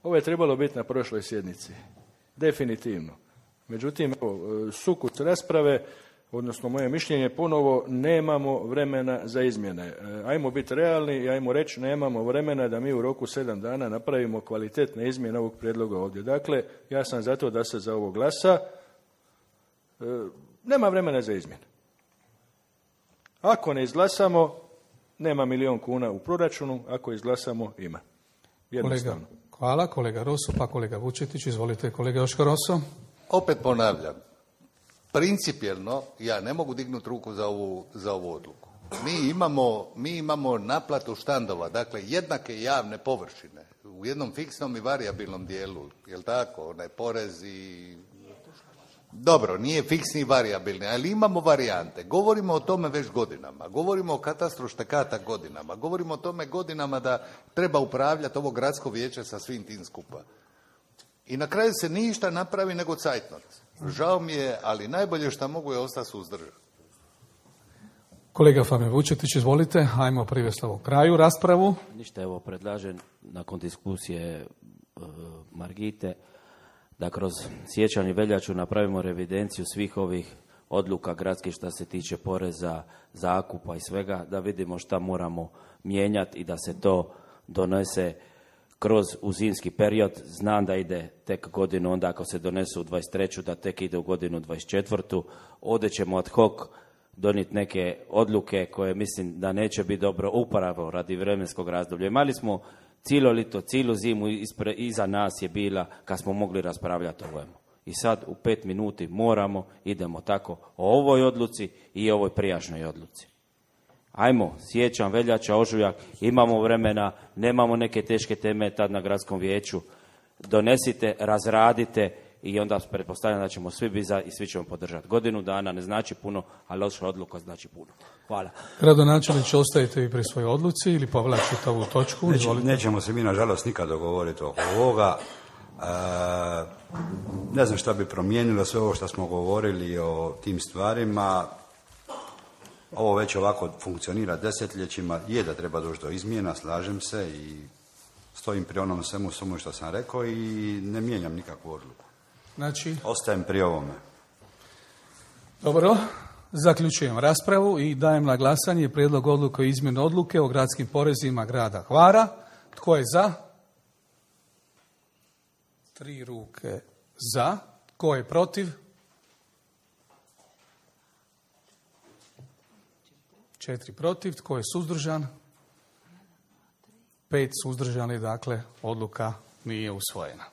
Ovo je trebalo biti na prošloj sjednici, definitivno. Međutim, evo, sukus rasprave, odnosno moje mišljenje ponovo, nemamo vremena za izmjene. Ajmo biti realni i ajmo reći nemamo vremena da mi u roku sedam dana napravimo kvalitetne izmjene ovog prijedloga ovdje. Dakle, ja sam zato da se za ovo glasa. E, nema vremena za izmjene. Ako ne izglasamo, nema milijon kuna u proračunu, ako izglasamo, ima. Jednostavno. Kolega, hvala, kolega Roso, pa kolega Vučetić, izvolite, kolega Joško Roso. Opet ponavljam, principijelno ja ne mogu dignuti ruku za ovu, za ovu odluku. Mi imamo, mi imamo naplatu štandova, dakle jednake javne površine u jednom fiksnom i varijabilnom dijelu, jel tako, onaj porez i... Dobro, nije fiksni i varijabilni, ali imamo varijante. Govorimo o tome već godinama, govorimo o katastru štekata godinama, govorimo o tome godinama da treba upravljati ovo gradsko vijeće sa svim tim skupa. I na kraju se ništa napravi nego cajtnot. Žao mi je, ali najbolje što mogu je ostati suzdržan. Kolega Fabio Vučetić, izvolite, ajmo privesti ovo kraju raspravu. Ništa, evo predlažem nakon diskusije uh, Margite da kroz siječanj i veljaču napravimo revidenciju svih ovih odluka gradskih što se tiče poreza, zakupa i svega, da vidimo šta moramo mijenjati i da se to donese kroz u zimski period. Znam da ide tek godinu, onda ako se donesu u dvadeset treću da tek ide u godinu dvadeset četvrtu. Ovdje ćemo ad hoc donijeti neke odluke koje mislim da neće biti dobro upravo radi vremenskog razdoblja. Imali smo cijelo lito, cijelu zimu ispre, iza nas je bila kad smo mogli raspravljati o ovome. I sad u pet minuti moramo, idemo tako o ovoj odluci i ovoj prijašnjoj odluci. Ajmo, siječanj, veljača, ožujak, imamo vremena, nemamo neke teške teme tad na gradskom vijeću. Donesite, razradite i onda pretpostavljam da ćemo svi biti za i svi ćemo podržati. Godinu dana ne znači puno, ali loša odluka znači puno. Hvala. Gradonačelnič, ostajete vi pri svojoj odluci ili povlačite ovu točku? Neće, nećemo se mi, nažalost, nikad dogovoriti oko ovoga. E, ne znam šta bi promijenilo sve ovo što smo govorili o tim stvarima. Ovo već ovako funkcionira desetljećima. Je da treba doći do izmjena, slažem se i stojim pri onom svemu svemu što sam rekao i ne mijenjam nikakvu odluku. Znači? Ostajem pri ovome. Dobro, zaključujem raspravu i dajem na glasanje prijedlog odluke o izmjeni odluke o gradskim porezima grada Hvara. Tko je za? Tri ruke za. Tko je protiv? Četiri protiv. Tko je suzdržan? Pet suzdržani, dakle, odluka nije usvojena.